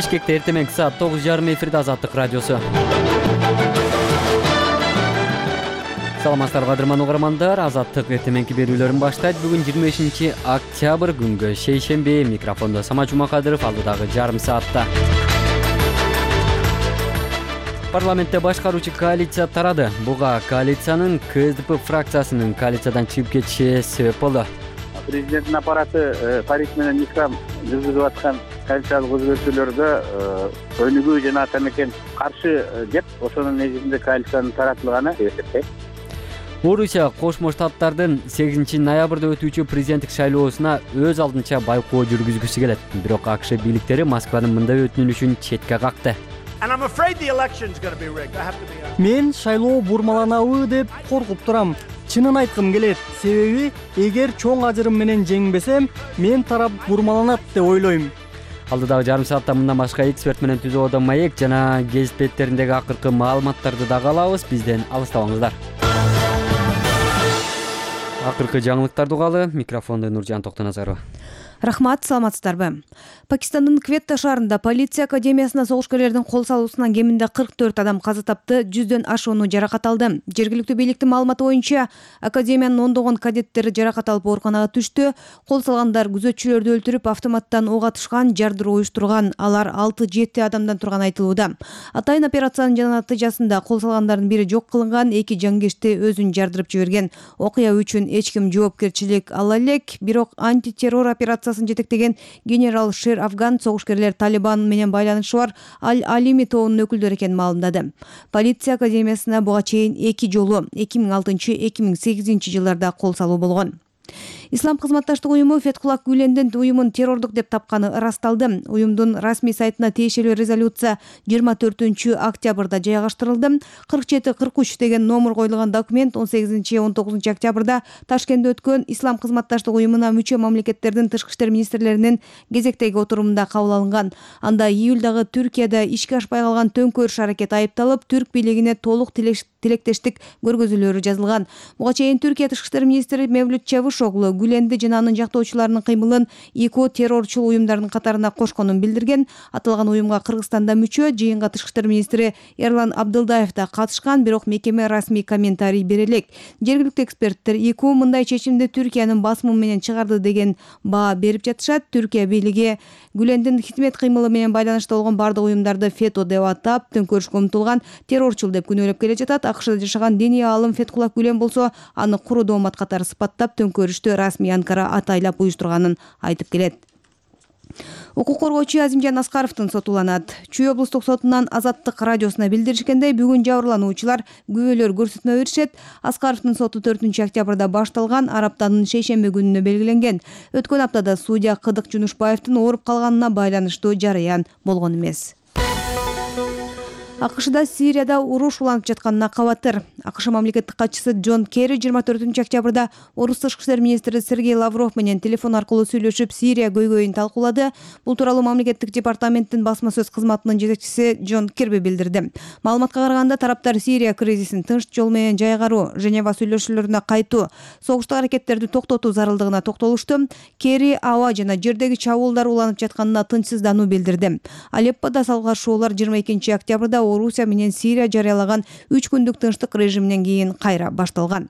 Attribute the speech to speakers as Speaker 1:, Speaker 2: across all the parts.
Speaker 1: Бишкекте эртең менги саат 9:30 эфирде Азаттык радиосу. Саламатсыздарбы кадырман угармандар, Азаттык эртең менги берүүлөрүн баштайт. Бүгүн 25 октябрь күнгө шейшемби. Микрофондо Самат Жумакадыров, алдыдагы жарым саатта. Парламентте башкаруучу коалиция тарады. Буга коалициянын КСДП фракциясынын коалициядан чыгып кетиши себеп болду.
Speaker 2: Президенттин аппараты Париж менен Ислам жүргүзүп аткан коалициялык өзгөртүүлөргө өнүгүү жана атамекен каршы деп, ошонун негизинде коалициянын таратылганы эсептейт.
Speaker 1: Орусия Кошмо Штаттардын 8 ноябрда өтүүчү президенттик шайлоосуна өз алдынча байкоо жүргүзгүсү келет. Бирок АКШ бийликтери Москванын мындай өтүнүшүн четке какты.
Speaker 3: Мен шайлоо бурмаланабы деп коркуп турам. Чынын айткым келет. Себеби эгер чоң ажырым менен жеңбесем, мен тарап бурмаланат деп ойлойм.
Speaker 1: Алдыдагы жарым саатта мындан башка эксперт менен түзүүдө маек жана гезит беттериндеги акыркы маалыматтарды дагы алабыз. Бизден алыстабаңыздар. Акыркы жаңылыктарды угалы. Микрофонду Нуржан Токтоназарова.
Speaker 4: Рахмат, саламатсыздарбы. Пакистандын Кветта шаарында полиция академиясына согушкерлердин кол салуусунан кеминде 44 адам каза тапты, 100дөн ашууну жаракат алды. Жергиликтүү бийликтин маалыматы боюнча, академиянын ондогон кадеттери жаракат алып ооруканага түштү. Кол салгандар күзөтчүлөрдү өлтүрүп, автоматтан ок атышкан, жардыруу уюштурган. Алар 6-7 адамдан турган айтылууда. Атайын операциянын натыйжасында кол салгандардын бири жок кылынган, 2 жангечти өзүн жардырып жиберген. Окуя үчүн эч ким жоопкерчилик ала элек, бирок антитеррор операциясын жетектеген генерал Шер Афган согушкерлер Талибан менен байланышы бар Аль-Алими тобунун өкүлдөрү экенин маалымдады. Полиция академиясына буга чейин 2 жолу 2006-2008 жылдарда кол салуу болгон. Ислам кызматташтык уюму Фетхуллах Гүлендин уюмун террордук деп тапканы ырасталды. Уюмдун расмий сайтына тиешелүү резолюция 24 октябрда жайгаштырылды. 47-43 деген номер коюлган документ 18-19 октябрда Ташкентте өткөн Ислам кызматташтык уюмуна мүчө мамлекеттердин тышкы иштер министрлеринин кезектеги отурумунда кабыл алынган. Анда июлдагы Түркияда ишке ашпай калган төңкөрүш аракети айыпталып, түрк бийлигине толук тилектештик көргөзүүлөрү жазылган. Буга чейин Түркия тышкы иштер министри Мевлют Чавушоглу Гүленди жана анын жактоочуларынын кыймылын ИКО террорчул уюмдардын катарына кошконун билдирген. Аталган уюмга Кыргызстанда мүчө, жыйынга тышкы иштер министри Эрлан Абдылдаев да катышкан, бирок мекеме расмий комментарий бере элек. Жергиликтүү эксперттер ИКО мындай чечимди Түркиянын басымы менен чыгарды деген баа берип жатышат. Түркия бийлиги Гүлендин хизмет кыймылы менен байланышта болгон бардык уюмдарды ФЕТО деп атап, төңкөрүшкө умтулган террорчул деп күнөөлөп келе жатат. АКШда жашаган диний аалым Фетхуллах Гүлен болсо, аны куру доомат катары сыпаттап, төңкөрүштү расмий Анкара атайлап уюштурганын айтып келет. Укук коргоочу Азимжан Аскаровдун соту уланат. Чүй облустук сотунан Азаттык радиосуна билдиришкендей, бүгүн жабырлануучулар күбөлөр көрсөтмө беришет. Аскаровдун соту 4 октябрда башталган, аптанын шейшемби күнүнө белгиленген. Өткөн аптада судья Кыдык Жунушбаевдин ооруп калганына байланыштуу жарыян болгон эмес. АКШда Сирияда уруш уланып жатканына кабатыр. АКШ мамлекеттик катчысы Джон Керри 24 октябрда орус тышкы иштер министри Сергей Лавров менен телефон аркылуу сүйлөшүп, Сирия көйгөйүн талкуулады. Бул тууралуу мамлекеттик департаменттин басма сөз кызматынын жетекчиси Джон Кирби билдирди. Маалыматка караганда, тараптар Сирия кризисин тынч жол менен жайгаруу, Женева сүйлөшүүлөрүнө кайтуу, согуштук аракеттерди токтотуу зарылдыгына токтолушту. Керри аба жана жердеги чабуулдар уланып жатканына тынчсыздануу билдирди. Алеппода салгылашуулар 22 октябрда Орусия менен Сирия жарыялаган 3 күндүк тынчтык режиминен кийин кайра башталган.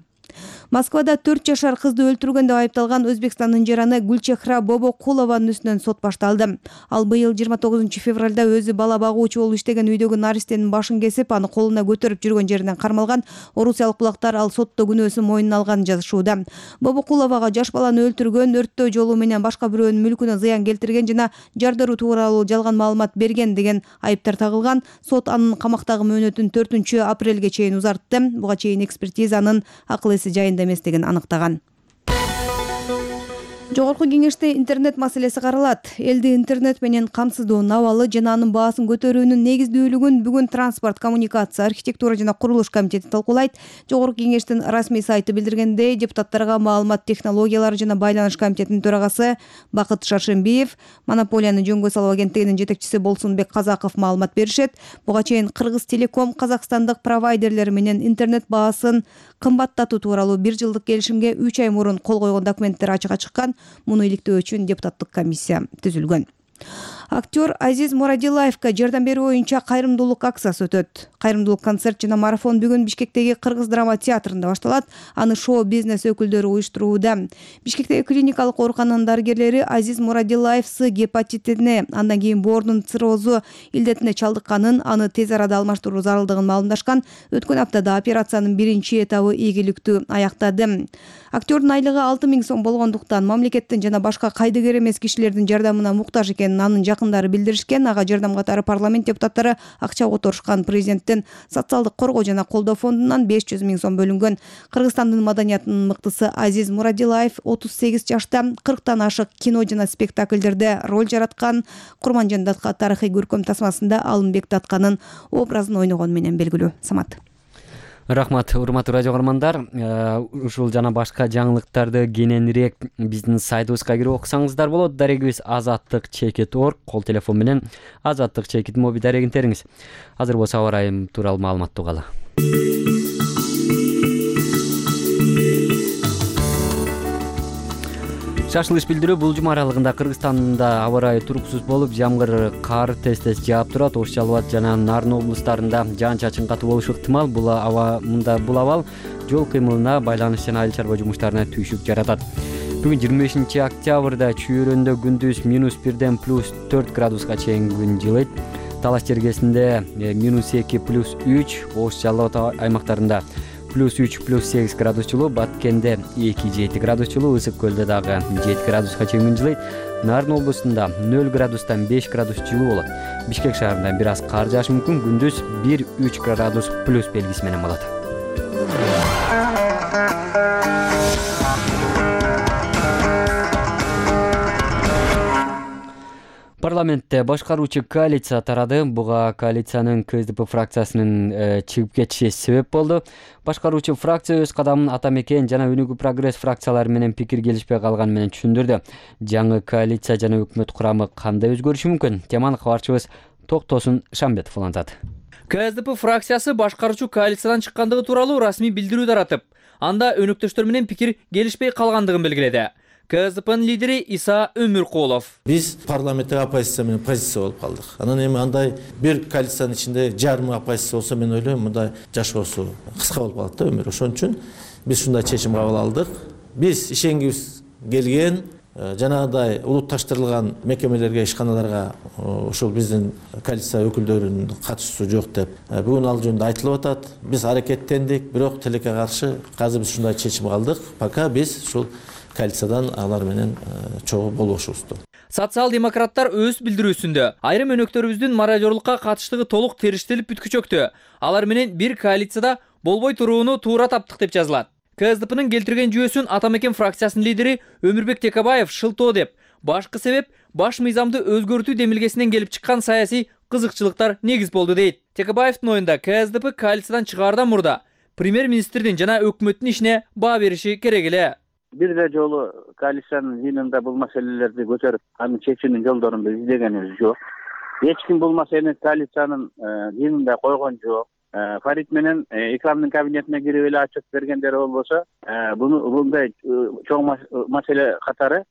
Speaker 4: Москвада 4 жашар кызды өлтүргөн деп айыпталган Өзбекстандын жараны Гүлчехра Бобокулованын үстүнөн сот башталды. Ал быйыл 29 февралда өзү бала багуучу болуп иштеген үйдөгү наристенин башын кесип, аны колуна көтөрүп жүргөн жеринен кармалган. Орусиялык булактар ал сотто күнөөсүн мойнуна алганын жазышууда. Бобокуловага жаш баланы өлтүргөн, өрттөө жолу менен башка бирөөнүн мүлкүнө зыян келтирген жана жардыруу тууралуу жалган маалымат берген деген айыптар тагылган. Сот анын камактагы мөөнөтүн 4 апрелге чейин узартты. Буга чейин экспертизанын акыл эси жайында эместигин аныктаган. Жогорку кеңеште интернет маселеси каралат. Элди интернет менен камсыздоо, абалы жана анын баасын көтөрүүнүн негиздүүлүгүн бүгүн Транспорт, коммуникация, архитектура жана курулуш комитети талкуулайт. Жогорку кеңештин расмий сайты билдиргендей, депутаттарга маалымат технологиялары жана байланыш комитетинин төрагасы Бакыт Шаршембиев, монополияны жөнгө салуу агенттигинин жетекчиси Болсунбек Казаков маалымат беришет. Буга чейин Кыргыз Телеком казакстандык провайдерлер менен интернет баасын кымбаттатуу тууралуу 1 жылдык келишимге 3 ай мурун кол койгон документтер ачыкка чыккан. Муну иликтөө үчүн депутаттык комиссия түзүлгөн. Актер Азиз Мурадилаевга жардам берүү боюнча кайрымдуулук акциясы өтөт. Кайрымдуулук концерт жана марафон бүгүн Бишкектеги Кыргыз драма театрында башталат. Аны шоу-бизнес өкүлдөрү уюштурууда. Бишкектеги клиникалык оорукананын дарыгерлери Азиз Мурадилаев гепатитине, андан кийин боордун циррозу илдетине чалдыкканын, аны тез арада алмаштыруу зарылдыгын маалымдашкан. Өткөн аптада операциянын биринчи этабы ийгиликтүү аяктады. Актердун айлыгы 6000 сом болгондуктан мамлекеттин жана башка кайдыгер эмес кишилердин жардамына муктаж экенин анын жакындары билдиришкен. Ага жардам катары парламент депутаттары акча которушкан. Президенттин социалдык коргоо жана колдоо фондунан 500 000 сом бөлүнгөн. Кыргызстандын маданиятынын мыктысы Азиз Мурадилаев 38 жашта 40тан ашык кино жана спектакльдерде роль жараткан. Курманжан датка тарыхый көркөм тасмасында Алымбек Датканын образын ойногону менен белгилүү. Самат.
Speaker 1: Рахмат, урматтуу радио көрөрмандар. Ушул жана башка жаңылыктарды кененирээк биздин сайтыбызга кирип окусаңыздар болот. Дарегибиз azatlyk.org, кол телефон менен Azatlyk моби дарегин териңиз. Азыр болсо аба ырайы тууралуу маалымат угалы. Шашылыш билдирүү бул жума аралыгында Кыргызстанда аба ырайы туруксуз болуп, жамгыр, кар тез-тез жаап турат. Ош Жалал Абад жана Нарын облустарында жаан-чачын катуу болушу ыктымал. Бул абал жол кыймылына, байланыш жана айыл чарба жумуштарына түйшүк жаратат. Бүгүн 25 октябрда Чүйөрөндө күндүз -1ден +4 градуска чейин күн жылыйт. Талаш жергесинде -2 +3, Ош Жалал Абад аймактарында +3 +8 градус жылуу, Баткенде 2-7 градус жылуу, Ысык көлдө дагы 7 градуска чейин күн жылыйт. Нарын облустунда 0 градустан 5 градус жылуу болот. Бишкек шаарында бир аз кар жаашы мүмкүн, күндүз 1-3 градус плюс белгиси менен болот. Парламентте башкаруучу коалиция тарады. Буга коалициянын КСДП фракциясынын чыгып кетиши себеп болду. Башкаруучу фракция өз кадамын Ата Мекен жана Өнүгүү прогресс фракциялары менен пикир келишпей калганы менен түшүндүрдү. Жаңы коалиция жана өкмөт курамы кандай өзгөрүшү мүмкүн? Теманы кабарчыбыз Токтосун Шамбетов улантат.
Speaker 5: КСДП фракциясы башкаруучу коалициядан чыккандыгы тууралуу расмий билдирүү таратып, анда өнөктөштөр менен пикир келишпей калгандыгын белгиледи. КСДПнын лидери Иса Өмүркулов.
Speaker 6: Биз парламенттик оппозиция менен позиция болуп калдык. Анан эми андай бир коалициянын ичинде жарымы оппозиция болсо, мен ойлойм, мындай жашоосу кыска болуп калат да өмүр. Ошон үчүн биз ушундай чечим кабыл алдык. Биз ишенгибиз келген жанагындай улутташтырылган мекемелерге, ишканаларга ушул биздин коалиция өкүлдөрүнүн катышуусу жок деп бүгүн ал жөнүндө айтылып атат. Биз аракеттендик, бирок тилекке каршы азыр биз ушундай чечим алдык. Пока биз ушул коалициядан алар менен чогуу болбошубузду.
Speaker 5: Социал-демократтар өз билдирүүсүндө айрым өнөктөрүбүздүн мародёрлукка катыштыгы толук териштелип бүткүчөктү. Алар менен бир коалицияда болбой турууну туура таптык деп жазылат. КСДПнын келтирген жүйөсүн Ата Мекен фракциясынын лидери Өмүрбек Текебаев шылтоо деп, башкы себеп баш мыйзамды өзгөртүү демилгесинен келип чыккан саясий кызыкчылыктар негиз болду дейт. Текебаевдин оюнда КСДП коалициядан чыгаардан мурда премьер-министрдин жана өкмөттүн ишине баа бериши керек эле.
Speaker 2: Бир да жолу коалициянын жыйынында бул маселелерди көтөрүп, анын чечүүнүн жолдорун издегенибиз жок. Эч ким бул маселени коалициянын жыйынында койгон жок. Фарид менен Икрамдын кабинетине кирип эле ачып бергендери болбосо, мындай чоң маселе катары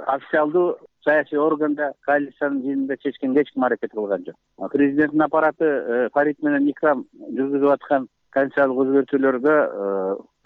Speaker 2: официалдуу саясий органда коалициянын жыйынында чечкенге эч ким аракет кылган жок. Президенттин аппараты Фарид менен Икрам жүргүзүп аткан конституциялык өзгөртүүлөргө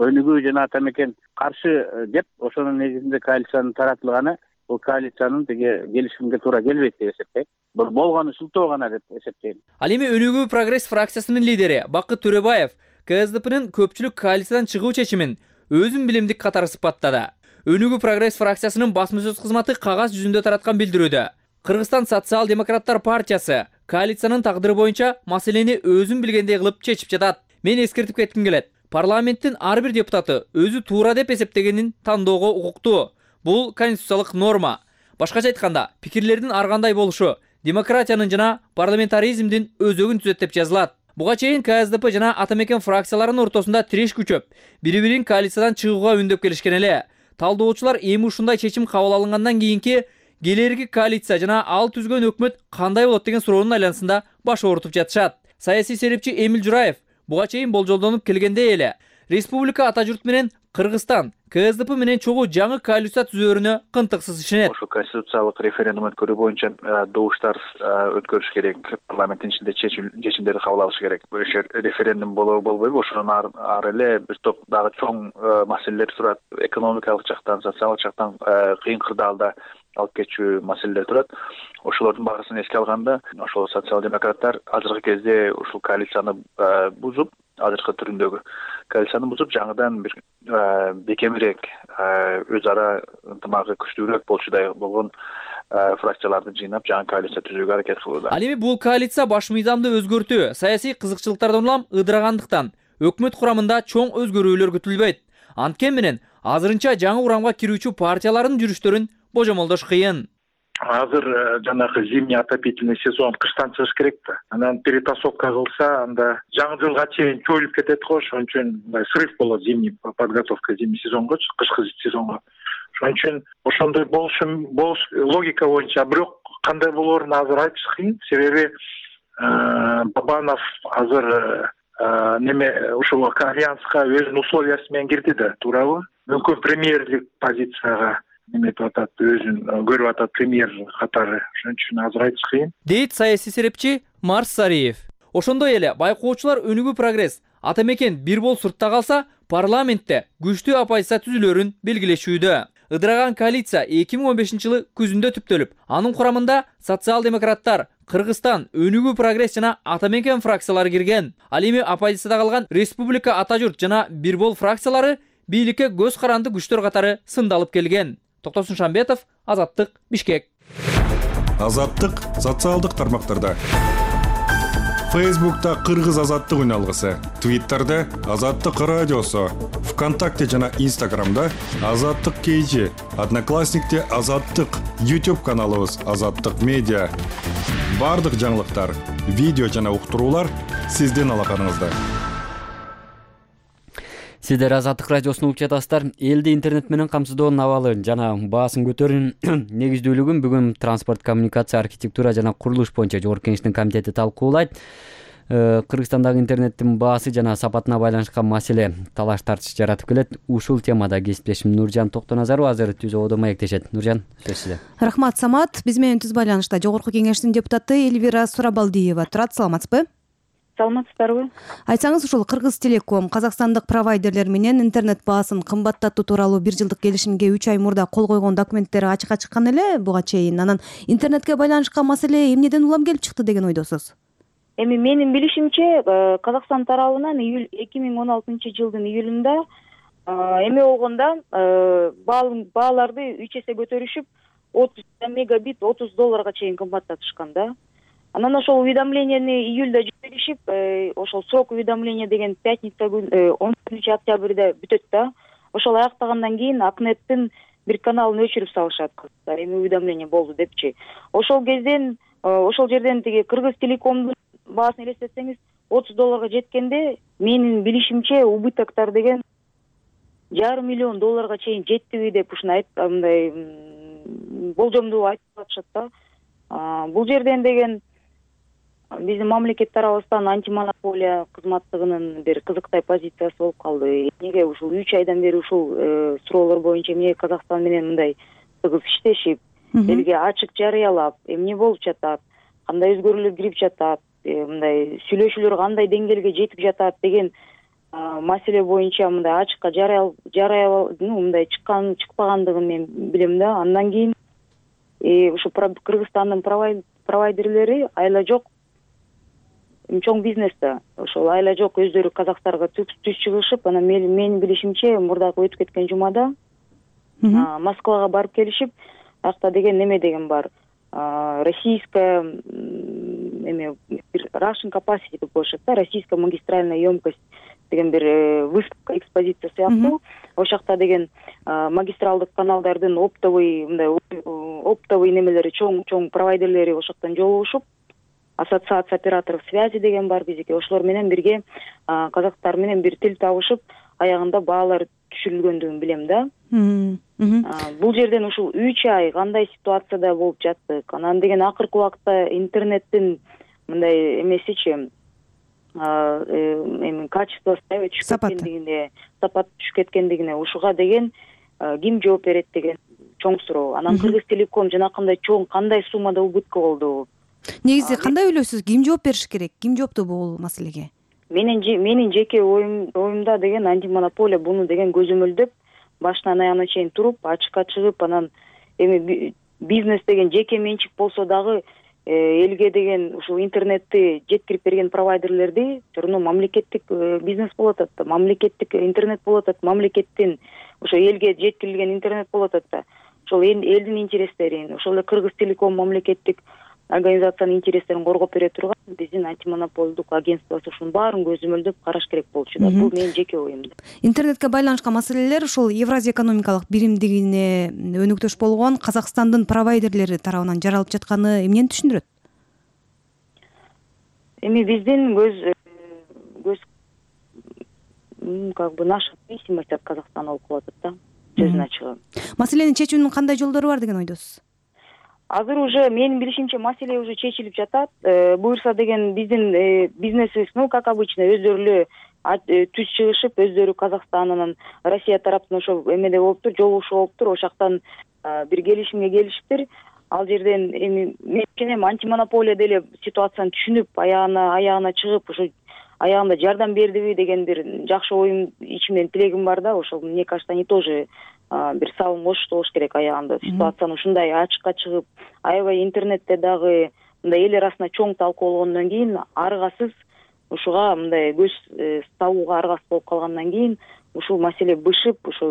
Speaker 2: Өнүгүү жана Ата Мекен каршы деп, ошонун негизинде коалициянын таратылганы бул коалициянын келишимге туура келбейт деп эсептейм. Болгону шылтоо гана деп эсептейм.
Speaker 5: Ал эми Өнүгүү прогресс фракциясынын лидери Бакыт Төрөбаев КСДПнын көпчүлүк коалициядан чыгуу чечимин өзүн билимдик катары сыпаттады. Өнүгүү прогресс фракциясынын басма сөз кызматы кагаз жүзүндө тараткан билдирүүдө Кыргызстан социал-демократтар партиясы коалициянын тагдыры боюнча маселени өзүн билгендей кылып чечип жатат. Мен эскертип кетким келет. Парламенттин ар бир депутаты өзү туура деп эсептегенин тандоого укуктуу. Бул конституциялык норма. Башкача айтканда, пикирлердин ар кандай болушу демократиянын жана парламентаризмдин өзөгүн түзөт деп жазылат. Буга чейин КСДП жана Ата Мекен фракцияларынын ортосунда тиреш күчөп, бири-бирин коалициядан чыгууга үндөп келишкен эле. Талдоочулар эми ушундай чечим кабыл алынгандан кийинки келерки коалиция жана ал түзгөн өкмөт кандай болот деген суроонун айланасында баш оорутуп жатышат. Саясий серепчи Эмил Жураев буга чейин болжолдонуп келгендей эле республика ата журт менен Кыргызстан КСДП менен чогуу жаңы коалиция түзүүрүнө кынтыксыз ишенет.
Speaker 7: Ошо конституциялык референдум өткөрүү боюнча добуштар өткөрүш керек, парламенттин ичинде чечимдерди кабыл алыш керек. Бул референдум болбойбу, ошондон ары эле бир топ дагы чоң маселелер турат. Экономикалык жактан, социалдык жактан кыйын кырдаалда алып кетчү маселелер турат. Ошолордун баарысын эске алганда, ошол социал-демократтар азыркы кезде ушул коалицияны бузуп, азыркы түрүндөгү коалицияны бузуп, жаңыдан бир бекемирээк, өз ара ынтымагы күчтүүрөөк болчудай болгон фракцияларды жыйнап, жаңы коалиция түзүүгө аракет кылууда.
Speaker 5: Ал эми бул коалиция баш мыйзамды өзгөртүү, саясий кызыкчылыктардан улам ыдырагандыктан өкмөт курамында чоң өзгөрүүлөр күтүлбөйт. Анткени менен азырынча жаңы урамга кирүүчү партиялардын жүрүштөрүн божомолдош кыйын.
Speaker 8: Азыр жанагы зимний отопительный сезон кыштан чыгыш керек да. Анан перетасовка кылса, анда жаңы жылга чейин чоюлуп кетет го, ошон үчүн мындай срыв болот, зимний подготовка зимний сезонго, кышкы сезонго. Ошон үчүн ошондой болуш логика боюнча, бирок кандай болоорун азыр айтыш кыйын. Себеби Бабанов азыр ушул альянска өзүнүн условиясы менен кирди да, туурабы? Мүмкүн премьерлик позицияга неметип атат, өзүн көрүп атат премьер катары. Ошон үчүн азыр айтыш кыйын.
Speaker 5: Дейт саясий серепчи Марс Сариев. Ошондой эле байкоочулар өнүгүү прогресс ата мекен бир бол суртта калса, парламентте күчтүү оппозиция түзүлөрүн белгилешүүдө. Ыдыраган коалиция 2015-жылы күзүндө түптөлүп, анын курамында социал-демократтар, Кыргызстан, өнүгүү прогресс жана ата мекен фракциялары кирген. Ал эми оппозицияда калган Республика Ата журт жана бир бол фракциялары бийликке көз каранды күчтөр катары сындалып келген. Токтосун Шамбетов, Азаттык, Бишкек.
Speaker 9: Азаттык социалдык тармактарда. Фейсбукта Кыргыз Азаттык үналгысы, Твиттерде Азаттык радиосу, ВКонтакте жана Инстаграмда Азаттык KG, Одноклассникте Азаттык, YouTube каналыбыз Азаттык медиа. Бардык жаңылыктар, видео жана уктуруулар сиздин алаканыңызда.
Speaker 1: Сиздер Азаттык радиосун угуп жатасыздар. Элди интернет менен камсыздоонун абалы жана баасын көтөрүүнүн негиздүүлүгүн бүгүн транспорт, коммуникация, архитектура жана курулуш боюнча Жогорку Кеңештин комитети талкуулайт. Кыргызстандагы интернеттин баасы жана сапатына байланышкан маселе талаш тартыш жаратып келет. Ушул темада кесиптешим Нуржан Токтоназаров азыр түз ободо маектешет. Нуржан, сөз сизде.
Speaker 4: Рахмат, Самат. Биз менен түз байланышта Жогорку Кеңештин депутаты Эльвира Сурабалдиева турат. Саламатсызбы?
Speaker 10: Саламатсыздарбы?
Speaker 4: Айтсаңыз, ушул Кыргыз Телеком казакстандык провайдерлер менен интернет баасын кымбаттатуу тууралуу 1 жылдык келишимге 3 ай мурда кол койгон документтери ачыкка чыккан эле буга чейин. Анан интернетке байланышкан маселе эмнеден улам келип чыкты деген ойдосуз?
Speaker 10: Эми менин билишимче, Казакстан тарабынан 2016-жылдын июлунда эме болгондо бааларды 3 эсе көтөрүшүп, 30 мегабит $30 чейин кымбаттатышкан да. Анан ошол уведомленияны июлда жиберишип, ошол срок уведомления деген пятница күн 10-октябрда бүтөт да. Ошол аяктагандан кийин Акнеттин бир каналын өчүрүп салышат. Эми уведомление болду депчи. Ошол кезден, ошол жерден тиги Кыргыз Телекомдун баасын элестетсеңиз, $30 жеткенде, менин билишимче убытоктор деген $500 миллион чейин жеттиби деп ушундай мындай болжомду айтып атышат да. Бул жерден деген биздин мамлекет тарабыбыздан антимонополия кызматтыгынын бир кызыктай позициясы болуп калды. Эмнеге ушул 3 айдан бери ушул суроолор боюнча эмне Казакстан менен мындай тыгыз иштешип, элге ачык жарыялап, эмне болуп жатат, кандай өзгөрүүлөр кирип жатат, мындай сүйлөшүүлөр кандай деңгээлге жетип жатат деген маселе боюнча мындай ачыкка мындай чыкпагандыгын мен билем да. Андан кийин ушу Кыргызстандын провайдерлери айла жок чоң бизнесте, ошол айла жок өздөрү Казакстанга түз чыгышып, анан менин билишимче мурдагы өтүп кеткен жумада Москвага барып келишип, акта деген неме деген бар. Российская эме Russian capacity деп коюшат да, российская магистральная емкость деген бир выставка, экспозиция сыяктуу. Ошол жакта деген магистралдык каналдардын оптовый немелери чоң провайдерлери ошол жактан жолугушуп, ассоциация операторов связи деген бар бизге. Ошолор менен бирге казактар менен бир тил табышып, аягында баалар түшүрүлгөндүгүн билем да. Бул жерден ушул 3 ай кандай ситуацияда болуп жаттык. Анан деген акыркы убакта интернеттин мындай эмесичи, эми качествосы түшүп кеткендигине, сапаты түшүп кеткендигине ушуга деген ким жооп берет деген чоң суроо. Анан Кыргызтелеком жанакындай чоң кандай суммада убытка болду?
Speaker 4: Негизи кандай ойлойсуз? Ким жооп бериш керек? Ким жооптуу бул маселеге?
Speaker 10: Менин жеке оюмда деген антимонополия буну деген көзөмөлдөп, башынан аягына чейин туруп, ачыкка чыгып, анан эми бизнес деген жеке менчик болсо дагы элге деген ушул интернетти жеткирип берген провайдерлерди турну мамлекеттик бизнес болуп атат да, мамлекеттик интернет болуп атат, мамлекеттин ошо элге жеткирилген интернет болуп атат да. Ошол элдин интерестерин, ошол эле Кыргызтелеком мамлекеттик организациянын интерестерин коргоп бере турган биздин антимонополдук агентствосу ушунун баарын көзөмөлдөп караш керек болчу да. Бул менин жеке оюм.
Speaker 4: Интернетке байланышкан маселелер ушул Евразия экономикалык биримдигине өнүктөш болгон Казакстандын провайдерлери тарабынан жаралып жатканы эмнени түшүндүрөт?
Speaker 10: Эми биздин как бы наша зависимость от Казахстана болуп калат да, сөзүн ачыгы.
Speaker 4: Маселени чечүүнүн кандай жолдору бар деген ойдосуз?
Speaker 10: Азыр уже менин билишимче маселе уже чечилип жатат. Буюрса деген биздин бизнесибиз, как обычно, өздөрү эле түз чыгышып, өздөрү Казакстаннын, Россия тараптын ошо эмеде болуптур, жолугушуу болуптур, ошол жактан бир келишимге келишиптир. Ал жерден эми мен антимонополия деле ситуацияны түшүнүп, аягына чыгып, ошо аягында жардам бердиби деген бир жакшы оюм, ичимден тилегим бар да. Ошол мне кажется, они тоже бир салым кошушту болуш керек аягында. Ситуацияны ушундай ачыкка чыгып, аябай интернетте дагы мындай эл арасында чоң талкуу болгондон кийин аргасыз ушуга мындай көз табууга аргасыз болуп калгандан кийин ушул маселе бышып, ошо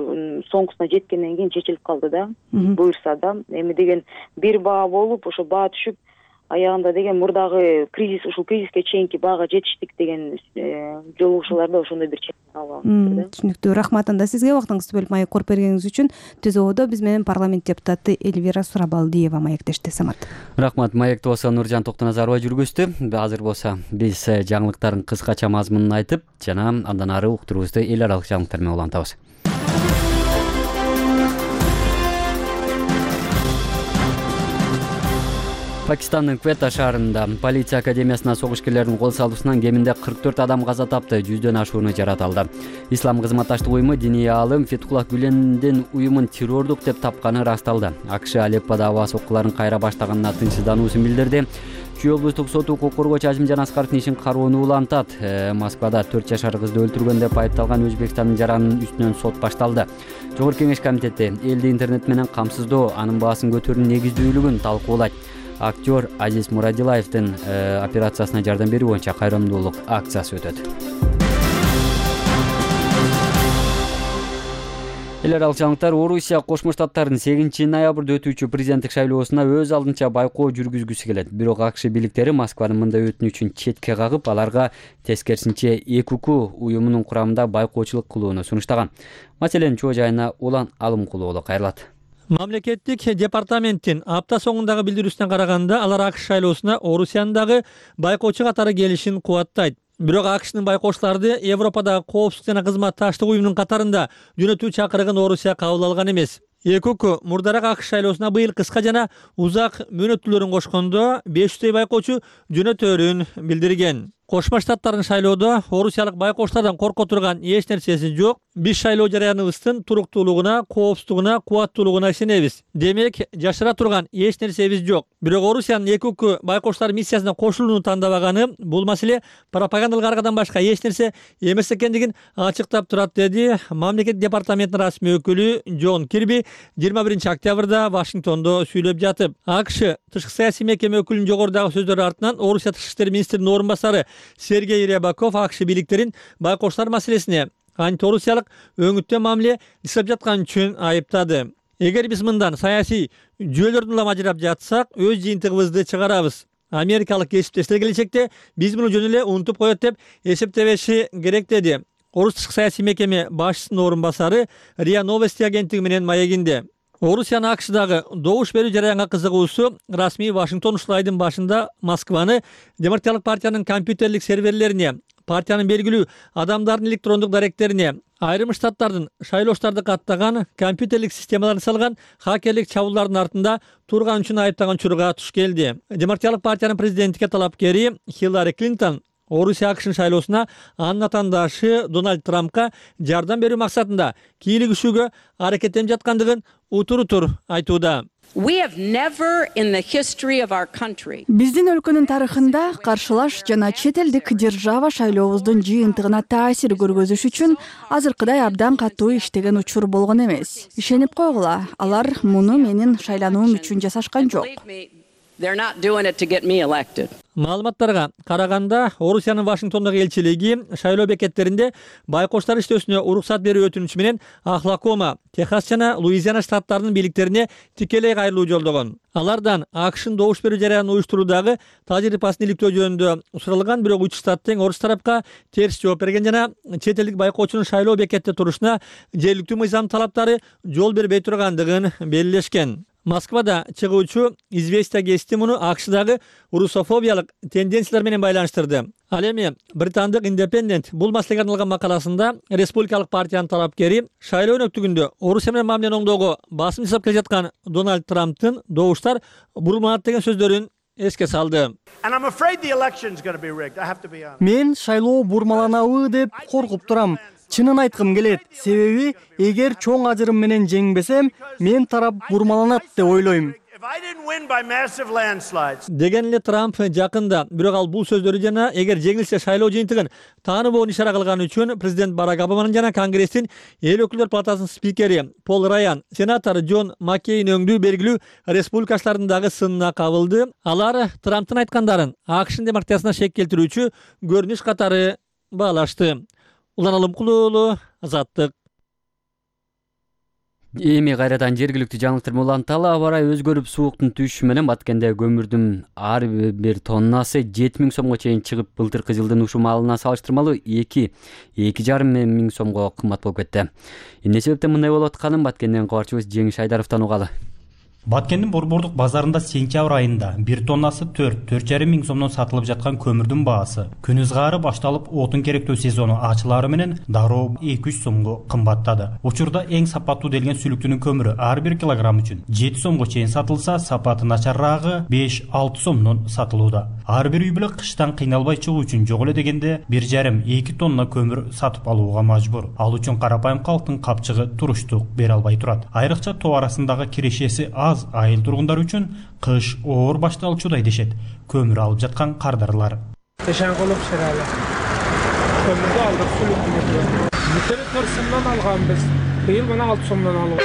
Speaker 10: соңгусуна жеткенден кийин чечилип калды да. Буюрса да, эми деген бир баа болуп, ошо баа түшүп, аягында деген мурдагы кризис, ушул кризиске чейинки баага жетиштик деген жолугушууларда ошондой бир чечим алып.
Speaker 4: Түшүнүктүү. Рахмат анда сизге убактыңызды бөлүп маек коруп бергениңиз үчүн. Түз ободо биз менен парламент депутаты Эльвира Сурабалдиева маектешти. Самат.
Speaker 1: Рахмат. Маекти болсо Нуржан Токтоназарова жүргүздү. Азыр болсо биз жаңылыктардын кыскача мазмунун айтып, жана андан ары уктуруубузду эл аралык жаңылыктар менен улантабыз. Пакистандын Квета шаарында полиция академиясына согушкерлердин кол салуусунан кеминде 44 адам каза тапты, 100дөн ашууну жаратылды. Ислам кызматташтык уюму диний аалым Фетхуллах Гүлендин уюмун террордук деп тапканы ырасталды. АКШ Алепподо аба соккуларын кайра баштаганына тынчсыздануусун билдирди. Чүй облустук соту укук коргоочу Азимжан Аскаровдун ишин кароону улантат. Москвада 4 жашар кызды өлтүргөн деп айыпталган Өзбекстандын жаранын үстүнөн сот башталды. Жогорку Кеңеш комитети элди интернет менен камсыздоо, анын баасын көтөрүүнүн негиздүүлүгүн талкуулайт. Актер Азиз Мурадилаевдин операциясына жардам берүү боюнча кайрымдуулук акциясы өтөт. Эл аралык жаңылыктар. Орусия Кошмо Штаттарынын 8 ноябрда өтүүчү президенттик шайлоосуна өз алдынча байкоо жүргүзгүсү келет. Бирок АКШ бийликтери Москванын мындай өтүнүчүн четке кагып, аларга тескерисинче ЭКУК уюмунун курамында байкоочулук кылууну сунуштаган. Маселенин чоо жайына Улан Алымкулуулу кайрылат.
Speaker 11: Мамлекеттик департаменттин апта соңундагы билдирүүсүнө караганда, алар АКШ шайлоосуна Орусиянын дагы байкоочу катары келишин кубаттайт. Бирок АКШнын байкоочуларды Европадагы коопсуздук жана кызматташтык уюмунун катарында жөнөтүү чакырыгын Орусия кабыл алган эмес. ЭКУК мурдараак АКШ шайлоосуна быйыл кыска жана узак мөөнөттүүлөрүн кошкондо 500 байкоочу жөнөтөөрүн билдирген. Кошмо Штаттардын шайлоодо орусиялык байкоочулардан корко турган эч нерсеси жок. Биз шайлоо жарыяныбыздын туруктуулугуна, коопсуздугуна, кубаттуулугуна ишенебиз. Демек, жашыра турган эч нерсебиз жок. Бирок Орусиянын ЭКУК байкоочулар миссиясына кошулууну тандабаганы бул маселе пропагандалык аргадан башка эч нерсе эмес экендигин ачыктап турат, деди мамлекет департаментинин расмий өкүлү Джон Кирби 21 октябрда Вашингтондо сүйлөп жатып. АКШ тышкы саясий мекеме өкүлүнүн жогорудагы сөздөрү артынан Орусия тышкы иштер министринин орун басары Сергей Рябаков АКШ бийликтерин байкоочулар маселесине антиорусиялык өңүттүү мамиле жасап жаткан үчүн айыптады. Эгер биз мындан саясий жүйөлөрдүн улам ажырап жатсак, өз жыйынтыгыбызды чыгарабыз. Америкалык кесиптештер келечекте биз муну жөн эле унутуп коет деп эсептебеши керек, деди Орус тышкы саясий мекеме башчысынын орун басары РИА Новости агенттиги менен маегинде. Орусиянын АКШдагы добуш берүү жараянга кызыгуусу расмий Вашингтон ушул айдын башында Москваны Демократиялык партиянын компьютерлик серверлерине, партиянын белгилүү адамдардын электрондук даректерине, айрым штаттардын шайлоочуларды каттаган компьютерлик системаларын салган хакерлик чабуулдардын артында турган үчүн айыптаган учурга туш келди. Демократиялык партиянын президенттикке талапкери Хиллари Клинтон Орусия АКШнын шайлоосуна анын атаандашы Дональд Трампка жардам берүү максатында кийлигишүүгө аракеттенип жаткандыгын утур айтууда.
Speaker 12: Биздин өлкөнүн тарыхында каршылаш жана чет элдик держава шайлообуздун жыйынтыгына таасир көргөзүш үчүн азыркыдай абдан катуу иштеген учур болгон эмес. Ишенип койгула, алар муну менин шайлануум үчүн жасашкан жок.
Speaker 11: Маалыматтарга караганда, Орусиянын Вашингтондогу элчилиги шайлоо бекеттеринде байкоштар иштөөсүнө уруксат берүү өтүнүчү менен Охлакома, Техас жана Луизиана штаттарынын бийликтерине тикелей кайрылуу жолдогон. Алардан АКШнын добуш берүү жарыянын уюштуруудагы тажрыйбасын иликтөө жөнүндө суралган, бирок 3 штат тең орус тарапка терс жооп берген жана чет элдик байкоочунун шайлоо бекетте турушуна жергиликтүү мыйзам талаптары жол бербей тургандыгын белгилешкен. Москвада чыгуучу «Известия» гезити муну АКШдагы русофобиялык тенденциялар менен байланыштырды. Ал эми британдык Independent бул маселеге арналган макаласында республикалык партиянын талапкери шайлоо өнөктүгүндө Орусия менен мамилени оңдоого басым жасап келе жаткан Дональд Трамптын добуштар бурулманат деген сөздөрүн эске салды.
Speaker 3: Мен шайлоо бурмаланабы деп коркуп турам. Чынын айткым келет, себеби эгер чоң ажырым менен жеңбесем, мен тарап бурмаланат деп ойлойм.
Speaker 11: Деген эле Трамп жакында, бирок ал бул сөздөрү жана эгер жеңилсе шайлоо жыйынтыгын тааныбоон ишара кылган үчүн президент Барак Обаманын жана Конгресстин эл өкүлдөр палатасынын спикери Пол Райан, сенатор Джон Маккейн өңдүү белгилүү республикачылардын дагы сынына кабылды. Алар Трамптын айткандарын АКШнын демократиясына шек келтирүүчү көрүнүш катары баалашты. Улан Алымкулуулу, Азаттык.
Speaker 1: Эми кайрадан жергиликтүү жаңылыктар уланталы. Аба ырайы өзгөрүп, сууктун түшүшү менен Баткенде көмүрдүн ар бир тоннасы 7000 сомго чейин чыгып, былтыркы жылдын ушул маалына салыштырмалуу 2,5 миң сомго кымбат болуп кетти. Эмне себептен мындай болуп атканын Баткенден кабарчыбыз Жеңиш Айдаровдон угалы.
Speaker 13: Баткендин Борбордук базарында сентябрь айында 1 тоннасы 4,5 миң сомдон сатылып жаткан көмүрдүн баасы күн ызгаары башталып, отун керектөө сезону ачылары менен дароо 200 сомго кымбаттады. Учурда эң сапаттуу делген сүлүктүнүн көмүрү ар 1 килограмм үчүн 7 сомго чейин сатылса, сапаты начаррагы 5-6 сомдон сатылууда. Ар бир үй бүлө кыштан кыйналбай чыгуу үчүн жок эле дегенде 1,5-2 тонна көмүр сатып алууга мажбур. Ал үчүн карапайым калктын капчыгы туруштук бере албай турат. Айрыкча тоо арасындагы кирешеси айыл тургундар үчүн кыш оор башталчудай дешет көмүр алып жаткан кардарлар.
Speaker 14: Тешенголуп шералы. Көмүрдү алдык, сүлүктү. Бүтөрү 4 сомдон алганбыз. Быйыл мына 6 сомдон алып.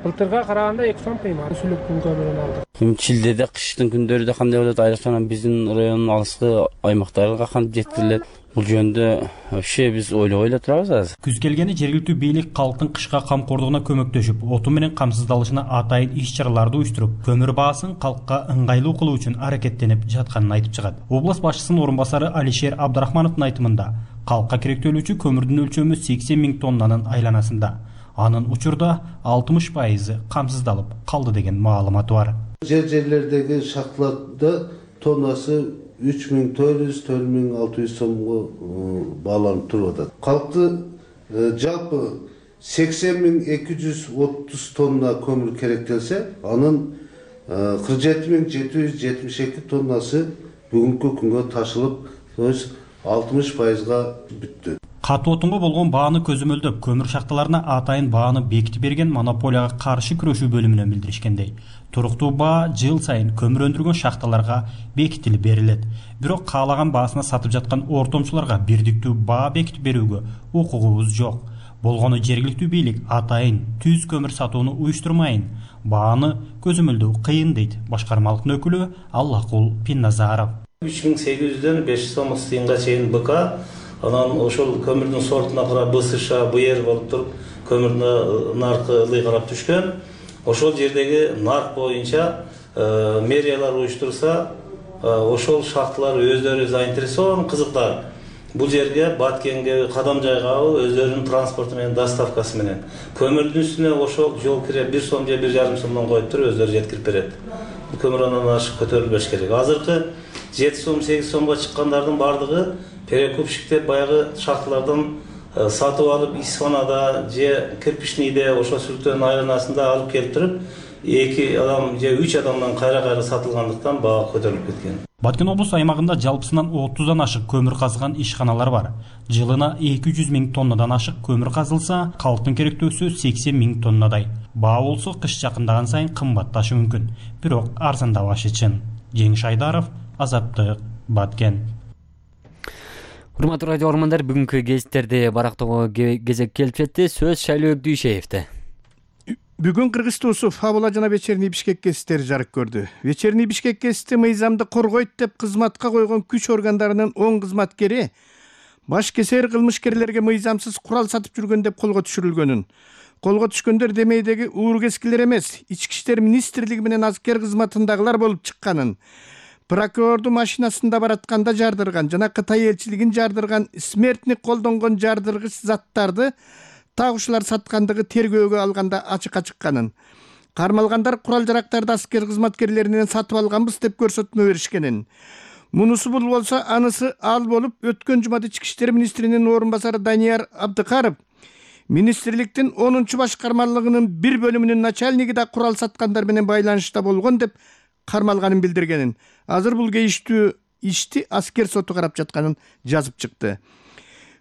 Speaker 14: Былтырга караганда 2 сом кыймат сүлүктүн көмүрүн алдык.
Speaker 15: Чилдеде кыштын күндөрүдө кандай болот? Айрыкча биздин райондун алыскы аймактарга кантип жеткирилет? Бул жөнүндө вообще биз ойлобой эле турабыз азыр.
Speaker 13: Күз келгени жергиликтүү бийлик калктын кышка камкордугуна көмөктөшүп, оту менен камсыздалышына атайын иш-чараларды уюштуруп, көмүр баасын калкка ыңгайлуу кылуу үчүн аракеттенип жатканын айтып чыгат. Област башчысынын орун басары Алишер Абдрахмановдун айтымында, калкка керектөлүүчү көмүрдүн өлчөмү 80 миң тоннанын айланасында. Анын учурда 60% камсыздалып калды деген маалыматы бар.
Speaker 16: Жерлердеги шахталарда тоннасы 3400-4600 сомго бааланып туруп атат. Калкты жалпы 80.230 тонна көмүр керектелсе, анын 47.772 тоннасы бүгүнкү күнгө ташылып, 60%га бүттү.
Speaker 13: Катуу отунга болгон бааны көзөмөлдөп, көмүр шахталарына атайын бааны бекитип берген монополияга каршы күрөшүү бөлүмүнөн билдиришкендей. Туруктуу баа жыл сайын көмүр өндүргөн шахталарга бекитилип берилет. Бирок каалаган баасына сатып жаткан ортомчуларга бирдиктүү баа бекитип берүүгө укугубуз жок. Болгону жергиликтүү бийлик атайын түз көмүр сатууну уюштурмайын, бааны көзөмөлдөө кыйын дейт башкармалыктын өкүлү Аллакул Пинназаров.
Speaker 17: 3800дөн 500 сом тыйынга чейин БК, анан ошол көмүрдүн сортуна карап БСШ, БР болуп туруп, көмүрдүн наркы ылый карап түшкөн. Ошол жердеги нарк боюнча мэриялар уюштурса, ошол шахталар өздөрү заинтересован, кызыктар. Бул жерге Баткенге кадам жайгабы өздөрүнүн транспорту менен, доставкасы менен. Көмүрдүн үстүнө ошол жол кире 1 сом же 1,5 сомдон коюп туруп өздөрү жеткирип берет. Бул көмүр андан ашык көтөрүлбөш керек. Азыркы 7 сом, 8 сомго чыккандардын бардыгы перекупщиктер баягы шахталардан сатып алып, Исфанада же Кирпичныйде ошол сүлүктөрдүн айланасында алып келип туруп, 2 адам же 3 адамдан кайра-кайра сатылгандыктан баа көтөрүлүп кеткен.
Speaker 13: Баткен облус аймагында жалпысынан 30дан ашык көмүр казган ишканалар бар. Жылына 200 миң тоннадан ашык көмүр казылса, калктын керектөөсү 80 миң тоннадай. Баа болсо кыш жакындаган сайын кымбатташы мүмкүн, бирок арзандабашы чын. Жеңиш Айдаров, Азаттык, Баткен.
Speaker 1: Урматтуу радио угармандар, бүгүнкү гезиттерди барактоого кезек келип жетти. Сөз Шайлоо Дүйшеевде.
Speaker 18: Бүгүн Кыргыз Туусу Фабула жана Вечерний Бишкек гезиттери жарык көрдү. Вечерний Бишкек гезити мыйзамды коргойт деп кызматка койгон күч органдарынын 10 кызматкери баш кесер кылмышкерлерге мыйзамсыз курал сатып жүргөн деп колго түшүрүлгөнүн. Колго түшкөндөр демейдеги уургескилер эмес, Ички иштер министрлиги менен аскер кызматындагылар болуп чыкканын, прокурорду машинасында баратканда жардырган жана Кытай элчилигин жардырган смертник колдонгон жардыргыч заттарды тагуучулар саткандыгы тергөөгө алганда ачыкка чыкканын, кармалгандар курал-жарактарды аскер кызматкерлеринен сатып алганбыз деп көрсөтмө беришкенин. Мунусу бул болсо анысы ал болуп, өткөн жумада Ички иштер министринин орун басары Данияр Абдыкаров министрликтин 10-чу башкармалыгынын бир бөлүмүнүн начальниги да курал саткандар менен байланышта болгон деп кармалганын билдиргенин. Азыр бул кейиштүү ишти аскер соту карап жатканын жазып чыкты.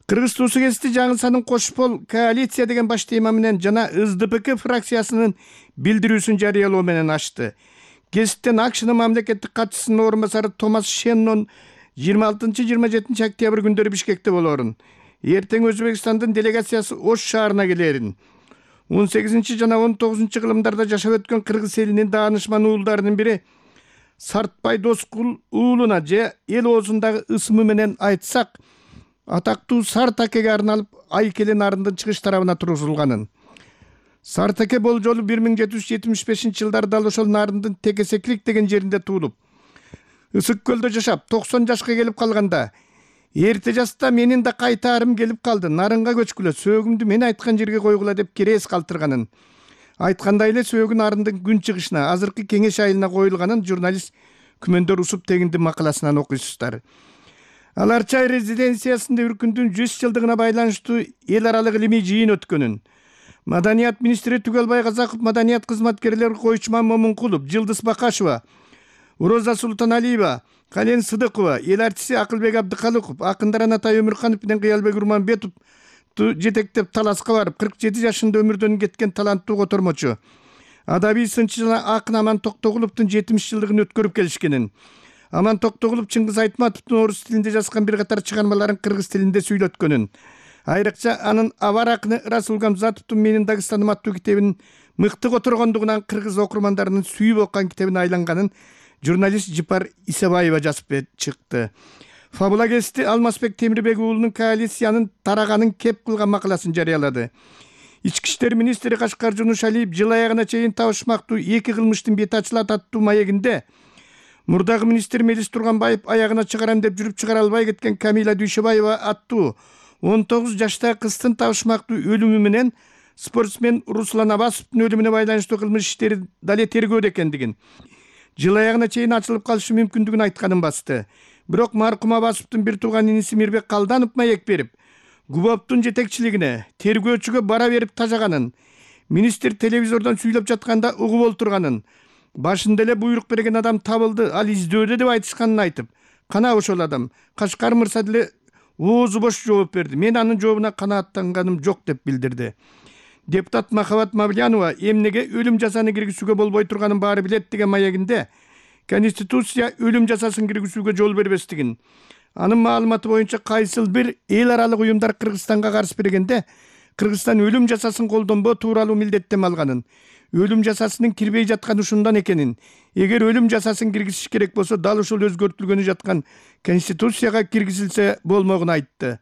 Speaker 18: Кыргыз Туусу гезити жаңы Кошпол коалиция деген баш тема менен жана СДПК фракциясынын билдирүүсүн жарыялоо менен ачты. Гезиттен АКШнын мамлекеттик катчысынын орун басары Томас Шеннон 26-27 октябрь күндөрү Бишкекте болорун. Эртең Өзбекстандын делегациясы Ош шаарына келерин. 18 жана 19 кылымдарда жашап өткөн кыргыз элинин даанышман уулдарынын бири Сартбай Доскул уулуна же эл оозундагы ысымы менен айтсак, атактуу Сартакеге арналып Айкеле нарындын чыгыш тарабына тургузулганын. Сартаке бул жолу 1775-жылдары дал ошол нарындын Текесеклик деген жеринде туулуп, Ысык көлдө жашап 90 жашка келип калганда, эрте жаста менин да кайтаарым келип калды, нарынга көчкүлө, сөөгүмдү мен айткан жерге койгула деп керес калтырганын. Айткандай эле сөөгүн нарындын күн чыгышына, азыркы Кеңеш айылына коюлганын журналист Күмөндөр Усуп тегинди макаласынан окуйсуздар. Аларчай резиденциясында Үркүндүн 100 жылдыгына байланыштуу эл аралык илимий жыйын өткөнүн. Маданият министри Түгөлбай Казаков, маданият кызматкерлери Койчуман Момункулов, Жылдыз Бакашева, Роза Султаналиева, Кален Сыдыкова, эл артиси Акылбек Абдыкалыков, акындар Анатай Өмүрканов менен Кыялбек Урманбетов жетектеп таласка барып, 47 жашында өмүрдөн кеткен таланттуу котормочу, адабий сынчы жана акын Аман Токтогуловдун 70 жылдыгын өткөрүп келишкенин. Аман Токтогулов Чыңгыз Айтматовдун орус тилинде жазган бир катар чыгармаларын кыргыз тилинде сүйлөткөнүн. Айрыкча анын абар акыны Расул Гамзатовдун Менин Дагыстаным аттуу китебинин мыкты которгондугунан кыргыз окурмандарынын сүйүп окуган китебине айланганын журналист Жипар Исабаева жазып чыкты. Фабула гезити Алмазбек Темирбек уулунун коалициянын тараганын кеп кылган макаласын жарыялады. Ички иштер министри Кашкар Жунушалиев жыл аягына чейин табышмактуу 2 кылмыштын бети ачылат аттуу маегинде мурдагы министр Мелис Турганбаев аягына чыгарам деп жүрүп чыгара албай кеткен Камила Дүйшөбаева аттуу 19 жаштагы кыздын табышмактуу өлүмү менен спортсмен Руслан Абасовдун өлүмүнө байланыштуу кылмыш иштери дале тергөөдө экендигин, жыл аягына чейин ачылып калышы мүмкүндүгүн айтканын басты. Бирок маркум Абасовдун бир тууган иниси Мирбек Калданов маек берип, Губовдун жетекчилигине тергөөчүгө бара берип тажаганын, министр телевизордон сүйлөп жатканда угуп олтурганын, башында эле буйрук берген адам табылды, ал издөөдө деп айтышканын айтып, кана ошол адам Кашкар мырза деле оозу бош жооп берди. Мен анын жообуна канааттанганым жок деп билдирди. Депутат Махабат Мавлянова эмнеге өлүм жазаны киргизүүгө болбой турганын баары билет деген маегинде Конституция өлүм жазасын киргизүүгө жол бербестигин, анын маалыматы боюнча кайсыл бир эл аралык уюмдар Кыргызстанга каршы бергенде Кыргызстан өлүм жазасын колдонбоо тууралуу милдеттенме алганын, өлүм жазасынын кирбей жатканы ушундан экенин, эгер өлүм жазасын киргизиш керек болсо дал ушул өзгөртүлгөнү жаткан Конституцияга киргизилсе болмогун айтты.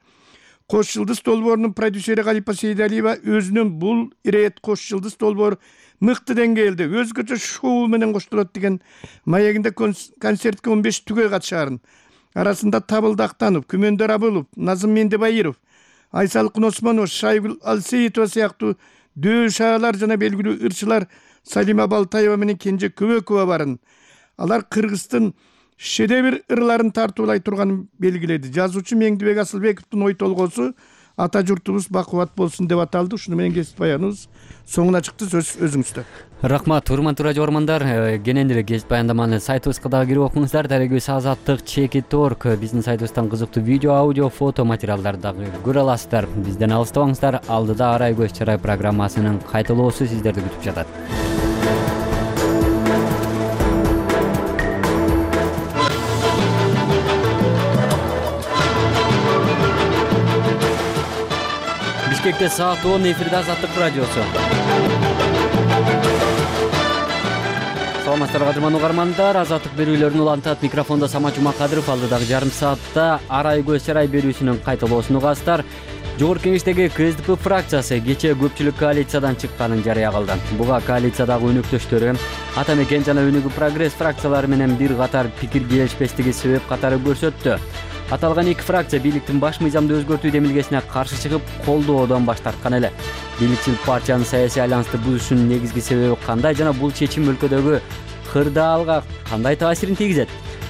Speaker 18: Кош жылдыз долбоорунун продюсери Галипа Сейдалиева өзүнүн бул ирет Кош жылдыз долбоор мыкты деңгээлде өзгөчө шоу менен коштолот деген маегинде концертке 15 түгөй катышаарын, арасында Табылды Актанов, Күмөндөр Абылов, Назым Мендебайыров, Айсалкын Осмонов, Шайгүл Алсеитова сыяктуу дөшаалар жана белгилүү ырчылар Салима Балтаева менен Кенже Көбөкова барын. Алар Кыргыздын шедевр ырларын тартуулай турганын белгиледи. Жазуучу Меңдибек Асылбековдун ой толгоосу ата журтубуз бакубат болсун деп аталды. Ушуну менен кесип баяныбыз соңуна чыкты. Сөз өзүңүздө.
Speaker 1: Рахмат, урматтуу радио көрөрмандар. Кенен эле кесип баяндаманы сайтыбызга дагы кирип окуңуздар. Дарегибиз Азаттык Чекит.org. Биздин сайтыбыздан кызыктуу видео, аудио, фото материалдарды дагы көрө аласыздар. Бизден алыстабаңыздар. Алдыда Арай көз чарай программасынын кайталоосу сиздерди күтүп жатат. Бишкекте саат 10 эфирде Азаттык радиосу. Саламатсыздарбы кадырман угармандар. Азаттык берүүлөрүн улантат микрофондо Самат Жумакадыров. Алдыдагы жарым саатта Арай көз чарай берүүсүнүн кайталоосун угасыздар. Жогорку Кеңештеги КСДП фракциясы кечээ көпчүлүк коалициядан чыкканын жарыя кылды. Буга коалициядагы өнөктөштөрү Атамекен жана Өнүгүү Прогресс фракциялары менен бир катар пикир келишпестиги себеп катары көрсөттү. Аталган эки фракция бийликтин баш мыйзамды өзгөртүү демилгесине каршы чыгып, колдоодон баш тарткан эле. Бийликчил партиянын саясий альянсты бузушунун негизги себеби кандай жана бул чечим өлкөдөгү кырдаалга кандай таасирин тийгизет?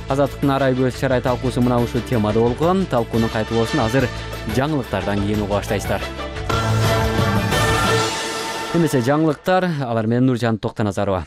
Speaker 1: Азаттыктын Арай көз чарай талкуусу мына ушул темада болгон. Талкуунун кайталоосун азыр жаңылыктардан кийин уга баштайсыздар. Эмесе жаңылыктар, алар менен Нуржан Токтоназарова.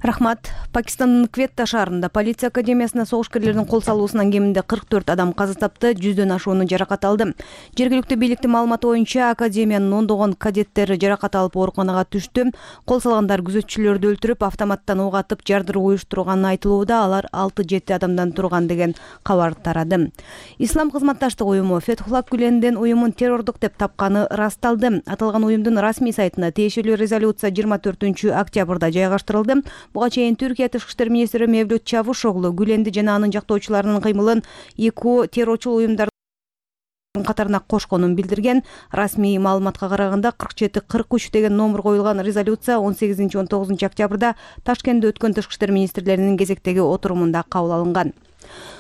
Speaker 4: Рахмат. Пакистандын Кветта шаарында полиция академиясына согушкерлердин кол салуусунан кеминде 44 адам каза тапты, 100дөн ашууну жаракат алды. Жергиликтүү бийликтин маалыматы боюнча академиянын ондогон кадеттери жаракат алып ооруканага түштү. Кол салгандар күзөтчүлөрдү өлтүрүп, автоматтан ок атып, жардыруу уюштурганы айтылууда. Алар 6-7 адамдан турган деген кабар тарады. Ислам кызматташтык уюму Фетхуллах Гүленден уюмун террордук деп тапканы расталды. Аталган уюмдун расмий сайтына тиешелүү резолюция 24-октябрда жайгаштырылды. Буга чейин Түркия тышкы иштер министри Мевлют Чавушоглу Гүленди жана анын жактоочуларынын кыймылын эки террорчул уюмдардын катарына кошконун билдирген. Расмий маалыматка караганда 47-43 деген номер коюлган резолюция 18-19 октябрда Ташкентте өткөн тышкы иштер министрлеринин кезектеги отурумунда кабыл алынган.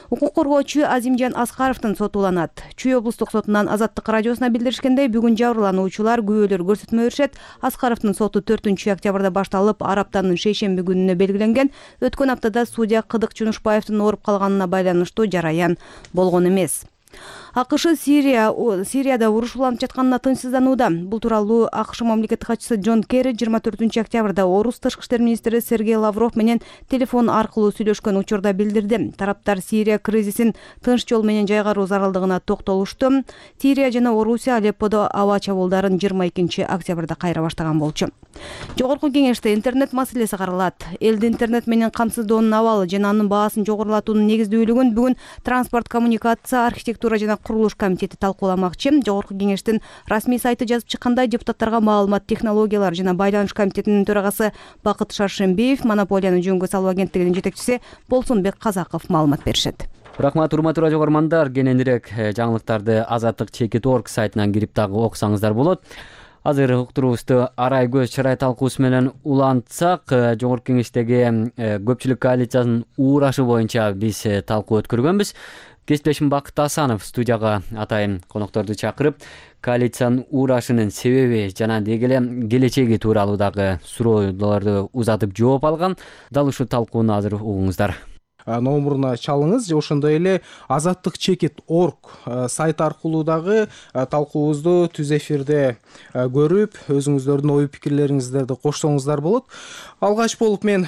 Speaker 4: Укук коргоочу Азимжан Аскаровдун соту уланат. Чүй облустук сотунан Азаттык радиосуна билдиришкендей, бүгүн жабырлануучулар күбөлөр көрсөтмө беришет. Аскаровдун соту 4-октябрда башталып, ар аптанын шейшемби күнүнө белгиленген. Өткөн аптада судья Кыдык Жунушбаевдин ооруп калганына байланыштуу жараян болгон эмес. АКШ Сирияда уруш уланып жатканына тынчсызданууда. Бул тууралуу АКШ мамлекеттик катчысы Джон Керри 24-октябрда орус тышкы иштер министри Сергей Лавров менен телефон аркылуу сүйлөшкөн учурда билдирди. Тараптар Сирия кризисин тынч жол менен жайгаруу зарылдыгына токтолушту. Сирия жана Орусия Алепподо аба чабуулдарын 22-октябрда кайра баштаган болчу. Жогорку Кеңеште интернет маселеси каралат. Элди интернет менен камсыздоонун абалы жана анын баасын жогорулатуунун негиздүүлүгүн бүгүн транспорт, коммуникация, архитектура жана курулуш комитети талкууламакчы. Жогорку Кеңештин расмий сайты жазып чыккандай, депутаттарга маалымат технологиялар жана байланыш комитетинин төрагасы Бакыт Шаршембиев, монополияны жөнгө салуу агенттигинин жетекчиси Болсунбек Казаков маалымат беришет.
Speaker 1: Рахмат, урматтуу радио көрөрмандар. Кененирээк жаңылыктарды Азаттык Чекит.org сайтынан кирип дагы окусаңыздар болот. Азыр уктуруубузду Арай көз чарай талкуусу менен улантсак, Жогорку Кеңештеги көпчүлүк коалициясынын уураашы боюнча биз талкуу өткөргөнбүз. Кесиптешим Бакыт Асанов студияга атайын конокторду чакырып, коалициянын уурашынын себеби жана деги эле келечеги тууралуу дагы суроолорду узатып жооп алган. Дал ушул талкууну азыр угуңуздар.
Speaker 19: Номуруна чалыңыз, ошондой эле Азаттык Чекит.org сайт аркылуу дагы талкуубузду түз эфирде көрүп, өзүңүздөрдүн ой пикирлериңиздерди коштоңуздар болот. Алгач болуп мен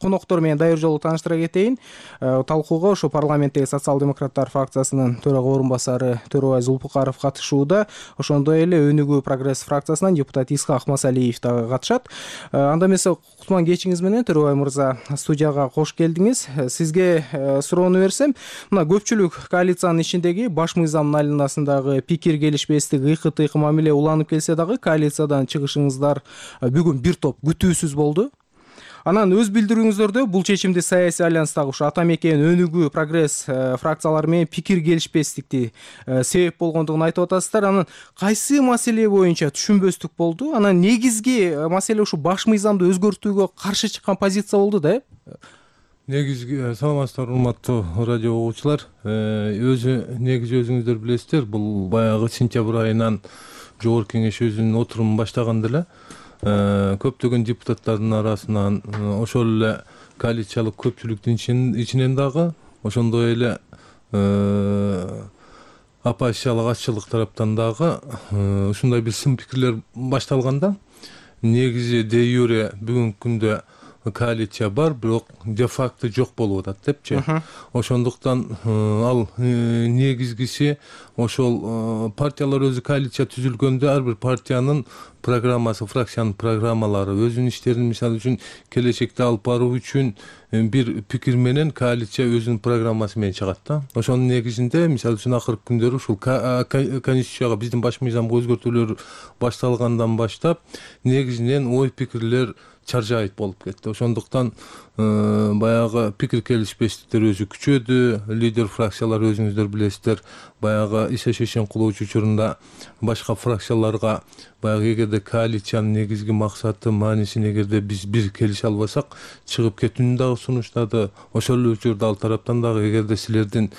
Speaker 19: коноктор менен дайыр жолу тааныштыра кетейин. Талкууга ошо парламенттеги социал-демократтар фракциясынын төрага орун басары Төрөбай Зулпукаров катышууда. Ошондой эле Өнүгүү Прогресс фракциясынан депутат Исхак Масалиев дагы катышат. Анда эмесе кутман кечиңиз менен Төрөбай мырза студияга кош келдиңиз. Сизге суроону берсем, мына көпчүлүк коалициянын ичиндеги баш мыйзамдын айланасындагы пикир келишпестик, ыкы-тыйкы мамиле уланып келсе дагы коалициядан чыгышыңыздар бүгүн бир топ күтүүсүз болду. Анан өз билдирүүңүздөрдө бул чечимди саясий альянстагы ушу Атамекен, Өнүгүү, Прогресс фракциялары менен пикир келишпестикти себеп болгондугун айтып атасыздар. Анан кайсы маселе боюнча түшүнбөстүк болду? Анан негизги маселе ушу баш мыйзамды өзгөртүүгө каршы чыккан позиция болду да?
Speaker 20: Негизги саламатсыздарбы, урматтуу радио угуучулар. Негизи өзүңүздөр билесиздер, бул баягы сентябрь айынан Жогорку Кеңеш өзүнүн отурумун баштаганда эле көптөгөн депутаттардын арасынан, ошол эле коалициялык көпчүлүктүн ичинен дагы, ошондой эле оппозициялык атчылык тараптан дагы ушундай бир сын пикирлер башталганда, негизи де юре бүгүнкү күндө коалиция бар, бирок де факто жок болуп атат депчи. Ошондуктан ал негизгиси ошол партиялар өзү коалиция түзүлгөндө ар бир партиянын программасы, фракциянын программалары, өзүнүн иштерин мисалы үчүн келечекте алып баруу үчүн бир пикир менен коалиция өзүнүн программасы менен чыгат да. Ошонун негизинде мисалы үчүн акыркы күндөрү ушул конституцияга, биздин баш мыйзамга өзгөртүүлөр башталгандан баштап негизинен ой пикирлер чаржайыт болуп кетти. Ошондуктан баягы пикир келишпестиктер өзү күчөдү. Лидер фракциялар өзүңүздөр билесиздер, баягы иши шешим кылуучу учурунда башка фракцияларга баягы эгерде коалициянын негизги максаты, маанисин эгерде биз бир келише албасак, чыгып кетүүнү дагы сунуштады. Ошол эле учурда ал тараптан дагы эгерде силердин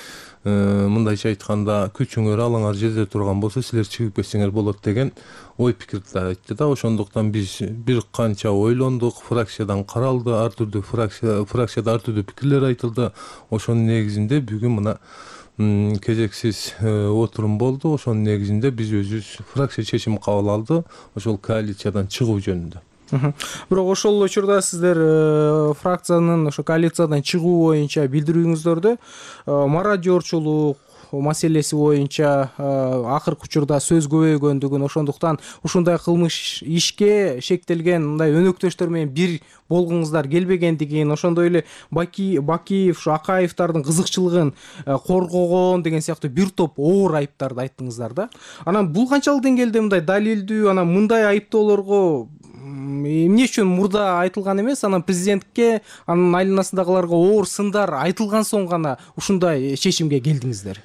Speaker 20: мындайча айтканда күчүңөр, алаңар жерде турган болсо, силер чыгып кетсеңер болот деген ой пикирди айтты да. Ошондуктан биз бир канча ойлондук, фракциядан каралды, ар түрдүү фракцияда ар түрдүү пикирлер айтылды. Ошонун негизинде бүгүн мына кезексиз отурум болду. Ошонун негизинде биз өзүбүз фракция чечим кабыл алды, ошол коалициядан чыгуу жөнүндө.
Speaker 19: Бирок ошол учурда сиздер фракциянын ошо коалициядан чыгуу боюнча билдирүүңүздөрдө мародёрчулук маселеси боюнча акыркы учурда сөз көбөйгөндүгүн, ошондуктан ушундай кылмыш ишке шектелген мындай өнөктөштөр менен бир болгуңуздар келбегендигин, ошондой эле Бакиев, ушу Акаевдардын кызыкчылыгын коргогон деген сыяктуу бир топ оор айыптарды айттыңыздар да. Анан бул канчалык деңгээлде мындай далилдүү, анан мындай айыптоолорго эмне үчүн мурда айтылган эмес, анан президентке, анын айланасындагыларга оор сындар айтылган соң гана ушундай чечимге келдиңиздер?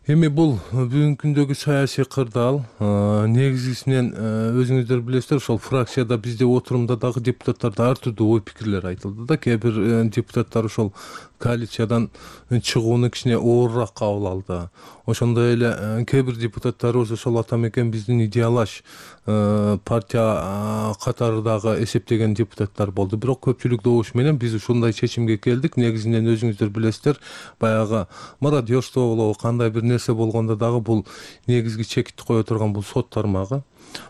Speaker 20: Эми бул бүгүнкү күндөгү саясий кырдаал. Негизгисинен өзүңүздөр билесиздер, ошол фракцияда бизде отурумда дагы депутаттарда ар түрдүү ой пикирлер айтылды да. Кээ бир депутаттар ошол коалициядан чыгууну кичине оорураак кабыл алды. Ошондой эле кээ бир депутаттарыбыз ошол атамекен биздин идеалаш партия катарындагы эсептеген депутаттар болду. Бирок көпчүлүк добуш менен биз ушундай чечимге келдик. Негизинен өзүңүздөр билесиздер, баягы мародёрство болобу, кандай бир нерсе болгондо дагы бул негизги чекитти кое турган бул сот тармагы.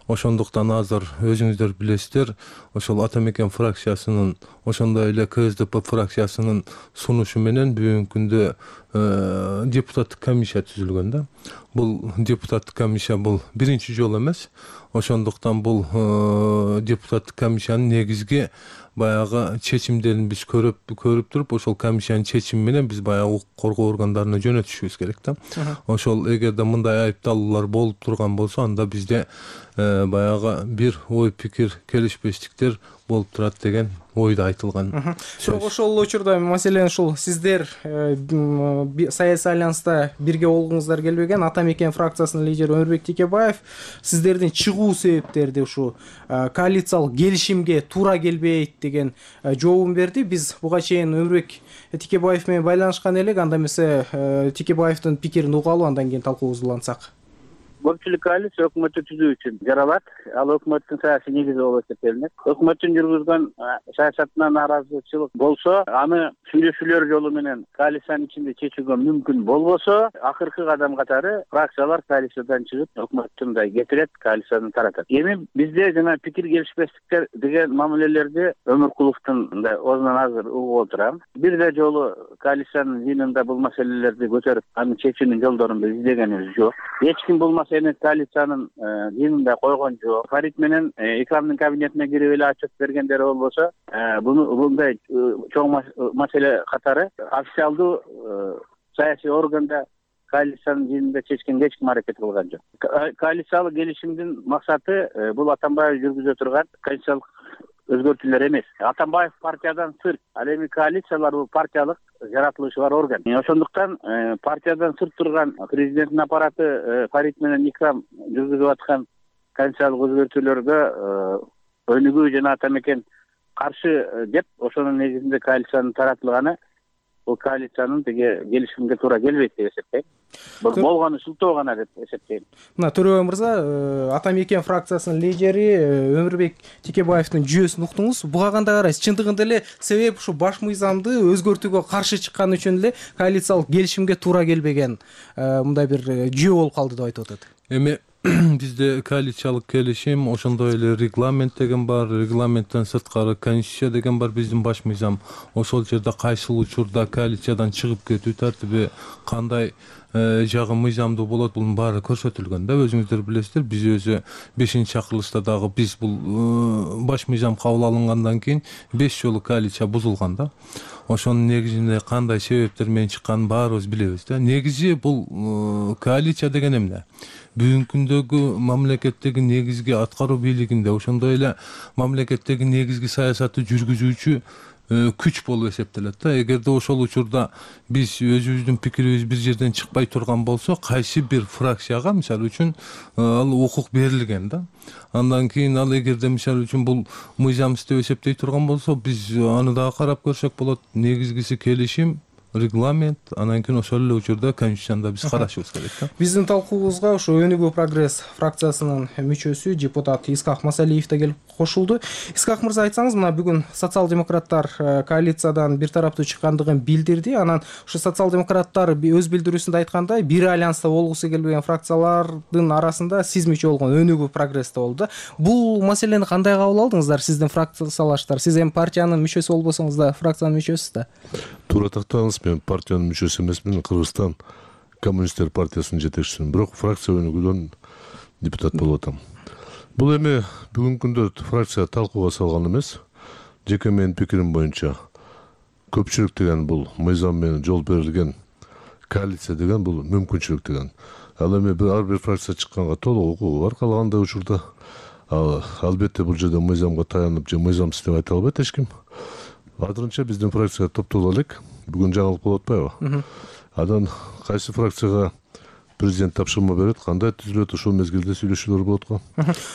Speaker 20: Ошондуктан азыр өзүңүздөр билесиздер, ошол атамекен фракциясынын, ошондой эле КСДП фракциясынын сунушу менен бүгүнкү күндө депутаттык комиссия түзүлгөн да. Бул депутаттык комиссия бул биринчи жолу эмес. Ошондуктан бул депутаттык комиссиянын негизги баягы чечимдерин биз көрүп туруп, ошол комиссиянын чечими менен биз баягы укук коргоо органдарына жөнөтүшүбүз керек да. Ошол эгерде мындай айыпталуулар болуп турган болсо, анда бизде баягы бир ой пикир келишпестиктер болуп турат деген ойдо айтылган.
Speaker 19: Бирок ошол учурда маселен ушул сиздер саясий альянста бирге болгуңуздар келбеген, атамекен фракциясынын лидери Өмүрбек Текебаев сиздердин чыгуу себептерди ушу коалициялык келишимге туура келбейт деген жообун берди. Биз буга чейин Өмүрбек Текебаев менен байланышкан элек, анда эмесе Текебаевдин пикирин угалы, андан кийин талкуубузду улантсак.
Speaker 2: Көпчүлүк коалиция өкмөттү түзүү үчүн жаралат. Ал өкмөттүн саясий негизи болуп эсептелинет. Өкмөттүн жүргүзгөн саясатынан нааразычылык болсо, аны сүйлөшүүлөр жолу менен коалициянын ичинде чечүүгө мүмкүн болбосо, акыркы кадам катары фракциялар коалициядан чыгып, өкмөттү мындай кетирет, коалицияны таратат. Эми бизде жана пикир келишпестиктер деген мамилелерди Өмүркуловдун мындай оозунан азыр угуп отурам. Бирде жолу коалициянын жыйынында бул маселелерди көтөрүп, анын чечүүнүн жолдорун биз издегенибиз жок. Эч ким бул коалициянын жыйынында койгон жок. Фарид менен Икрамдын кабинетине кирип эле отчет бергендери болбосо, мындай чоң маселе катары официалдуу саясий органда коалициянын жыйынында чечкенге эч ким аракет кылган жок. Коалициялык келишимдин максаты бул Атамбаев жүргүзө турган конституциялык өзгөртүүлөр эмес. Атамбаев партиядан сырт, ал эми коалициялар бул партиялык жаратылышы бар орган. Ошондуктан партиядан сырт турган президенттин аппараты Фарид менен Икрам жүргүзүп аткан конституциялык өзгөртүүлөргө өнүгүү жана атамекен каршы деп, ошонун негизинде коалициянын таратылганы бул коалициянын тиги келишимге туура келбейт деп эсептейм. Болгону шылтоо гана деп эсептейм.
Speaker 19: Мына Төрөбай мырза, Ата Мекен фракциясынын лидери Өмүрбек Текебаевдин жүйөсүн уктуңуз. Буга кандай карайсыз? Чындыгында эле себеп ушу баш мыйзамды өзгөртүүгө каршы чыккан үчүн эле коалициялык келишимге туура келбеген мындай бир жүйө болуп калды деп айтып атат.
Speaker 20: Эми бизде коалициялык келишим, ошондой эле регламент деген бар, регламенттен сырткары конституция деген бар, биздин баш мыйзам. Ошол жерде кайсыл учурда коалициядан чыгып кетүү тартиби, кандай жагы мыйзамдуу болот, бунун баары көрсөтүлгөн да. Өзүңүздөр билесиздер, биз өзү 5-чакырылышта дагы биз бул баш мыйзам кабыл алынгандан кийин 5 жолу коалиция бузулган да. Ошонун негизинде кандай себептер менен чыкканын баарыбыз билебиз да. Негизи бул коалиция деген эмне? Бүгүнкү күндөгү мамлекеттеги негизги аткаруу бийлигинде, ошондой эле мамлекеттеги негизги саясатты жүргүзүүчү күч болуп эсептелет да. Эгерде ошол учурда биз өзүбүздүн пикирибиз бир жерден чыкпай турган болсо, кайсы бир фракцияга мисалы үчүн ал укук берилген да. Андан кийин ал эгерде мисалы үчүн бул мыйзамсыз деп эсептей турган болсо, биз аны дагы карап көрсөк болот. Негизгиси келишим, регламент, анан кийин ошол эле учурда конституцияда биз карашыбыз керек да.
Speaker 19: Биздин талкуубузга ошо Өнүгүү прогресс фракциясынын мүчөсү депутат Исхак Масалиев да келип кошулду. Исхак мырза, айтсаңыз, мына бүгүн социал-демократтар коалициядан бир тараптуу чыккандыгын билдирди. Анан ушу социал-демократтар өз билдирүүсүндө айткандай, бир альянста болгусу келбеген фракциялардын арасында сиз мүчө болгон Өнүгүү прогресс да болду да. Бул маселени кандай кабыл алдыңыздар сиздин фракциялаштар? Сиз эми партиянын мүчөсү болбосоңуз да, фракциянын мүчөсүз да.
Speaker 21: Туура тактадыңыз, мен партиянын мүчөсү эмесмин, Кыргызстан коммунисттер партиясынын жетекчисимин, бирок фракция өнүгүүдөн депутат болуп атам. Бул эми бүгүнкү күндө фракция талкууга салган эмес. Жеке менин пикирим боюнча көпчүлүк деген бул мыйзам менен жол берилген, коалиция деген бул мүмкүнчүлүк деген. Ал эми ар бир фракция чыкканга толук укугу бар, калгандай учурда. Албетте бул жерде мыйзамга таянып же мыйзамсыз деп айта албайт эч ким. Азырынча биздин фракция топтоло элек. Бүгүн жаңылык болуп атпайбы? Анан кайсы фракцияга президент тапшырма берет, кандай түзүлөт, ошол мезгилде сүйлөшүүлөр болот го.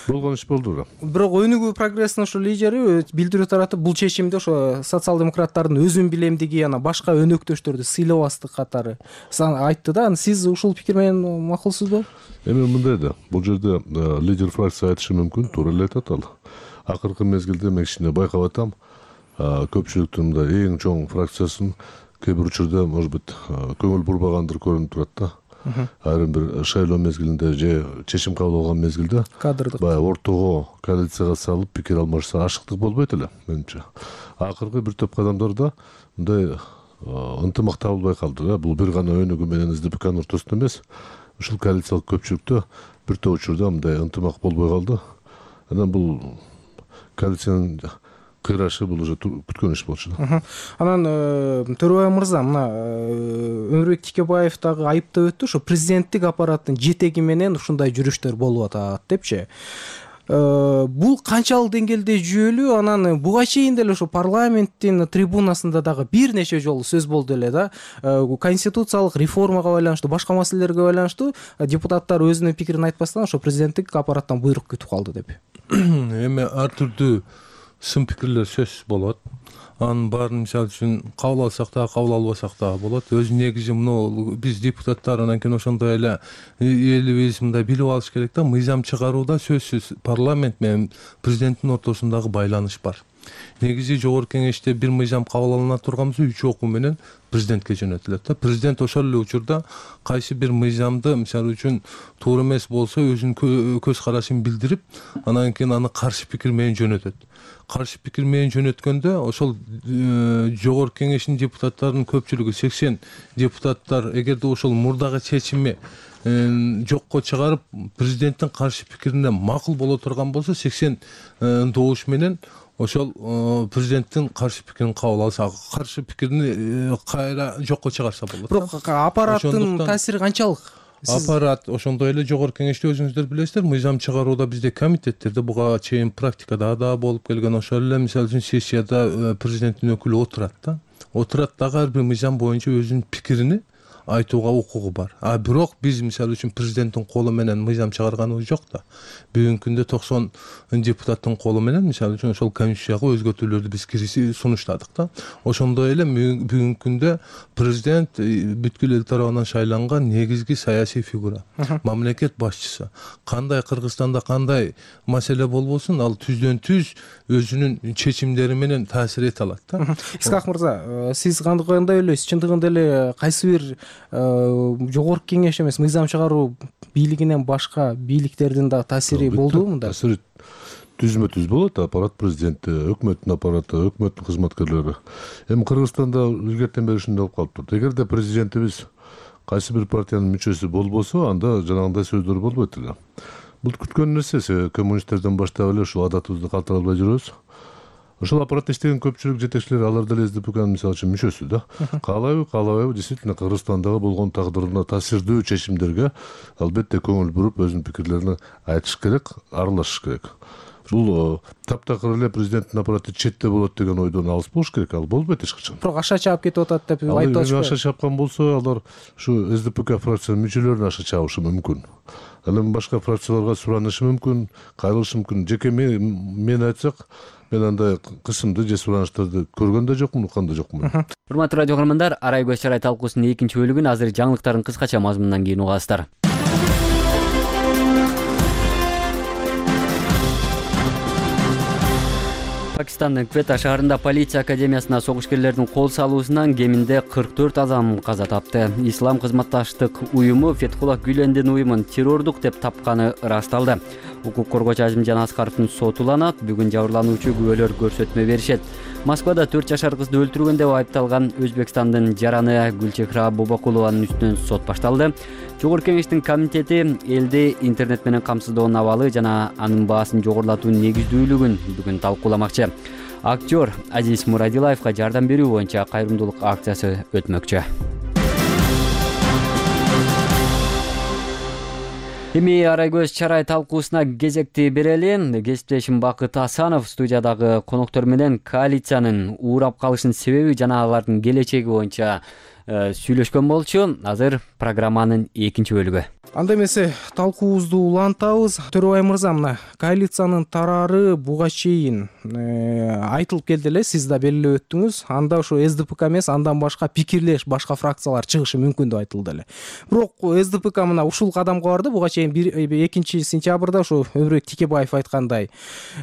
Speaker 21: Болгон иш болду.
Speaker 19: Бирок Өнүгүү прогресстин ошо лидери билдирүү таратып, бул чечимди ошо социал-демократтардын өзүн билемдиги, ана башка өнөктөштөрдү сыйлабастык катары айтты да. Сиз ушул пикир менен макулсузбу?
Speaker 21: Эми мындай да, бул жерде лидер фракция айтышы мүмкүн, туура эле айтат ал. Акыркы мезгилде мен кичине байкап атам, көпчүлүктүн мындай эң чоң фракциясын кээ бир учурда, может быть, көңүл бурбагандыр көрүнүп турат да. Айрым бир шайлоо мезгилинде же чечим кабыл алган мезгилде
Speaker 19: кадрдык
Speaker 21: баягы ортого коалицияга салып пикир алмашса ашыктык болбойт эле менимче. Акыркы бир топ адамдар да мындай ынтымак табылбай калды да. Бул бир гана Өнүгүү менен СДПКнын ортосунда эмес, ушул коалициялык көпчүлүктө бир топ учурда мындай ынтымак болбой калды. Анан бул коалициянын кыйрашы бул уже күткөн иш болчу да.
Speaker 19: Анан Төрөбай мырза, мына Өмүрбек Текебаев дагы айыптап өттү, ошо президенттик аппараттын жетеги менен ушундай жүрүштөр болуп атат депчи. Бул канчалык деңгээлде жүйөлүү? Анан буга чейин деле ошо парламенттин трибунасында дагы бир нече жолу сөз болду эле да. Конституциялык реформага байланыштуу, башка маселелерге байланыштуу депутаттар өзүнүн пикирин айтпастан ошо президенттик аппараттан буйрук күтүп калды деп.
Speaker 20: Эми ар түрдүү сын пикирлер сөзсүз болот. Анын баарын мисалы үчүн кабыл алсак да, кабыл албасак да болот. Өз негизи мына биз депутаттар, анан кийин ошондой эле элибиз мындай билип алыш керек да, мыйзам чыгарууда сөзсүз парламент менен президенттин ортосундагы байланыш бар. Негизи жогорку кеңеште бир мыйзам кабыл алына турган болсо 3 окуу менен президентке жөнөтүлөт да. Президент ошол эле учурда кайсы бир мыйзамды мисалы үчүн туура эмес болсо өзүнүн көз карашын билдирип, анан кийин аны каршы пикир менен жөнөтөт. Каршы пикир менен жөнөткөндө ошол жогорку кеңештин депутаттарынын көпчүлүгү 80 депутаттар эгерде ошол мурдагы чечими жокко чыгарып президенттин каршы пикирине макул боло турган болсо 80 добуш менен ошол президенттин каршы пикирин кабыл алса, каршы пикирини кайра жокко чыгарса болот.
Speaker 19: Бирок аппараттын таасири канчалык?
Speaker 20: Аппарат ошондой эле жогорку кеңеште өзүңүздөр билесиздер, мыйзам чыгарууда бизде комитеттерде буга чейин практикада да болуп келген. Ошол эле мисалы үчүн сессияда президенттин өкүлү отурат да. Отурат дагы ар бир мыйзам боюнча өзүнүн пикирини айтууга укугу бар. Бирок биз мисалы үчүн президенттин колу менен мыйзам чыгарганыбыз жок да. Бүгүнкү күндө 90 депутаттын колу менен мисалы үчүн ошол конституцияга өзгөртүүлөрдү биз сунуштадык да. Ошондой эле бүгүнкү күндө президент бүткүл эл тарабынан шайланган негизги саясий фигура, мамлекет башчысы. Кандай Кыргызстанда кандай маселе болбосун, ал түздөн түз өзүнүн чечимдери менен таасир эте алат да.
Speaker 19: Исхак мырза, сиз кандай ойлойсуз? Чындыгында эле кайсы бир жогорку кеңеш эмес, мыйзам чыгаруу бийлигинен башка бийликтердин да таасири болдубу мында?
Speaker 21: Таасири түзмө-түз болот. Аппарат президенти, өкмөттүн аппараты, өкмөттүн кызматкерлери. Эми Кыргызстанда илгертен бери ушундай болуп калыптыр. Эгерде президентибиз кайсы бир партиянын мүчөсү болбосо, анда жанагындай сөздөр болбойт эле. Бул күткөн нерсе, коммунисттерден баштап эле ушул адатыбызды калтыра албай жүрөбүз. Ошол аппаратта иштеген көпчүлүк жетекчилер, алар деле СДПКнын мисалы үчүн мүчөсү да. Каалайбы, действительно Кыргызстандагы болгон тагдырына таасирдүү чечимдерге албетте көңүл буруп, өзүнүн пикирлерин айтыш керек, аралашыш керек. Бул таптакыр эле президенттин аппараты четте болот деген ойдон алыс болуш керек, ал болбойт эч качан.
Speaker 19: Бирок аша чаап кетип атат деп айтып
Speaker 21: аша чапкан болсо, алар ушу СДПК фракциянын мүчөлөрүнө аша чабышы мүмкүн. Ал эми башка фракцияларга суранышы мүмкүн, кайрылышы мүмкүн. Жеке мен айтсак, мен андай кысымды же суранычтарды көргөн да жокмун, уккан да жокмун.
Speaker 1: Урматтуу радио көрөрмандар, Арай көз чарай талкуусунун экинчи бөлүгүн азыр жаңылыктардын кыскача мазмунунан кийин угасыздар. Пакистандын Квета шаарында полиция академиясына согушкерлердин кол салуусунан кеминде 44 адам каза тапты. Ислам кызматташтык уюму Фетхулла Гүлендин уюмун террордук деп тапканы ырасталды. Укук коргоочу Азимжан Аскаровдун соту уланат. Бүгүн жабырлануучу күбөлөр көрсөтмө беришет. Москвада 4 жашар кызды өлтүргөн деп айыпталган Өзбекстандын жараны Гүлчехра Бобакулованын үстүнөн сот башталды. Жогорку кеңештин комитети элди интернет менен камсыздоонун абалы жана анын баасын жогорулатуунун негиздүүлүгүн бүгүн талкууламакчы. Актер Азиз Мурадилаевга жардам берүү боюнча кайрымдуулук акциясы өтмөкчү. Эми Арай көз чарай талкуусуна кезекти берели. Кесиптешим Бакыт Асанов студиядагы коноктор менен коалициянын уурап калышынын себеби жана алардын келечеги боюнча сүйлөшкөн болчу. Азыр программанын экинчи бөлүгү.
Speaker 19: Анда эмесе талкуубузду улантабыз. Төрөбай мырза, мына коалициянын тарары буга чейин айтылып келди эле, сиз да белгилеп өттүңүз. Анда ошо СДПК эмес, андан башка пикирлеш башка фракциялар чыгышы мүмкүн деп айтылды эле. Бирок СДПК мына ушул кадамга барды. Буга чейин 2-сентябрда ошо Өмүрбек Текебаев айткандай,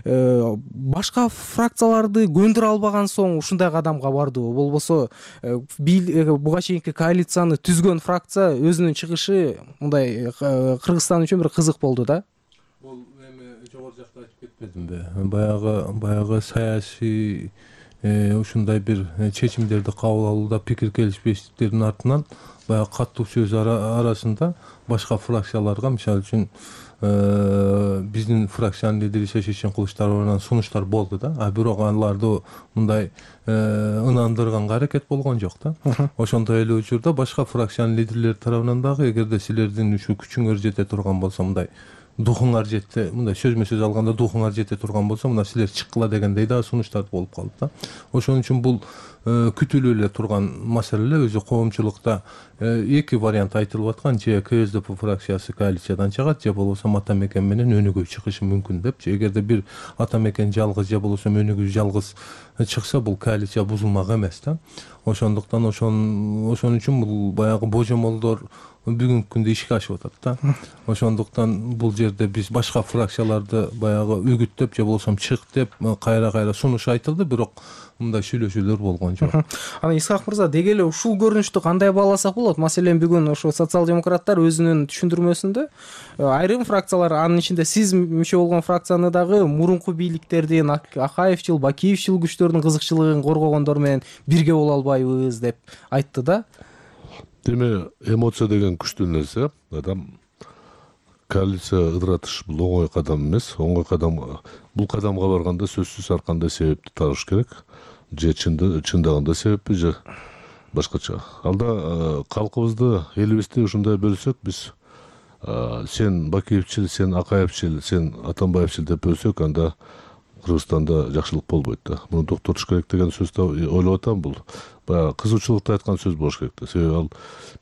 Speaker 19: башка фракцияларды көндүрө албаган соң ушундай кадамга бардыбы? Болбосо буга чейинки коалицияны түзгөн фракция өзүнүн чыгышы мындай Кыргызстан үчүн бир кызык болду да.
Speaker 20: Бул эми жогору жакта айтып кетпедимби? Баягы саясий ушундай бир чечимдерди кабыл алууда пикир келишпештиктердин артынан баягы каттуу сөз арасында башка фракцияларга, мисалы үчүн биздин фракциянын лидери Шешен Кылычдаровдон сунуштар болду да. Бирок аларды мындай ынандырганга аракет болгон жок да. Ошондой эле учурда башка фракциянын лидерлери тарабынан дагы, эгерде силердин ушу күчүңөр жете турган болсо, мындай духуңар жетти, мындай сөзмө сөз алганда духуңар жете турган болсо, мына силер чыккыла дегендей да сунуштар болуп калды да. Ошон үчүн бул күтүлүп эле турган маселе. Өзү коомчулукта эки вариант айтылып аткан: же КСДП фракциясы коалициядан чыгат, же болбосо ата мекен менен өнүгүү чыгышы мүмкүн деп. Эгерде бир ата мекен жалгыз же болбосо өнүгүү жалгыз чыкса, бул коалиция бузулмак эмес да. Ошондуктан ошон үчүн бул баягы божомолдор бүгүнкү күндө ишке ашып атат да. Ошондуктан бул жерде биз башка фракцияларды баягы үгүттөп же болбосо чык деп кайра сунуш айтылды, бирок мындай сүйлөшүүлөр болгон жок.
Speaker 19: Ана Исхак мырза, деги эле ушул көрүнүштү кандай бааласак болот? Маселен, бүгүн ошо социал-демократтар өзүнүн түшүндүрмөсүндө айрым фракциялар, анын ичинде сиз мүчө болгон фракцияны дагы мурунку бийликтердин, Акаевчил, Бакиевчил күчтөрдүн кызыкчылыгын коргогондор менен бирге боло албайбыз деп айтты да.
Speaker 21: Деме, эмоция деген күчтүү нерсе. Адам коалиция ыдыратыш бул оңой кадам эмес. Оңой кадам, бул кадамга барганда сөзсүз ар кандай себепти табыш керек. Же чындагында себеппи, же башкача. Алда калкыбызды, элибизди ушундай бөлсөк, биз сен Бакиевчил, сен Акаевчил, сен Атамбаевчил деп бөлсөк, анда Кыргызстанда жакшылык болбойт да. Муну токтотуш керек деген сөздү ойлоп атам. Бул баягы кызуучулукта айткан сөз болуш керек да. Себеби ал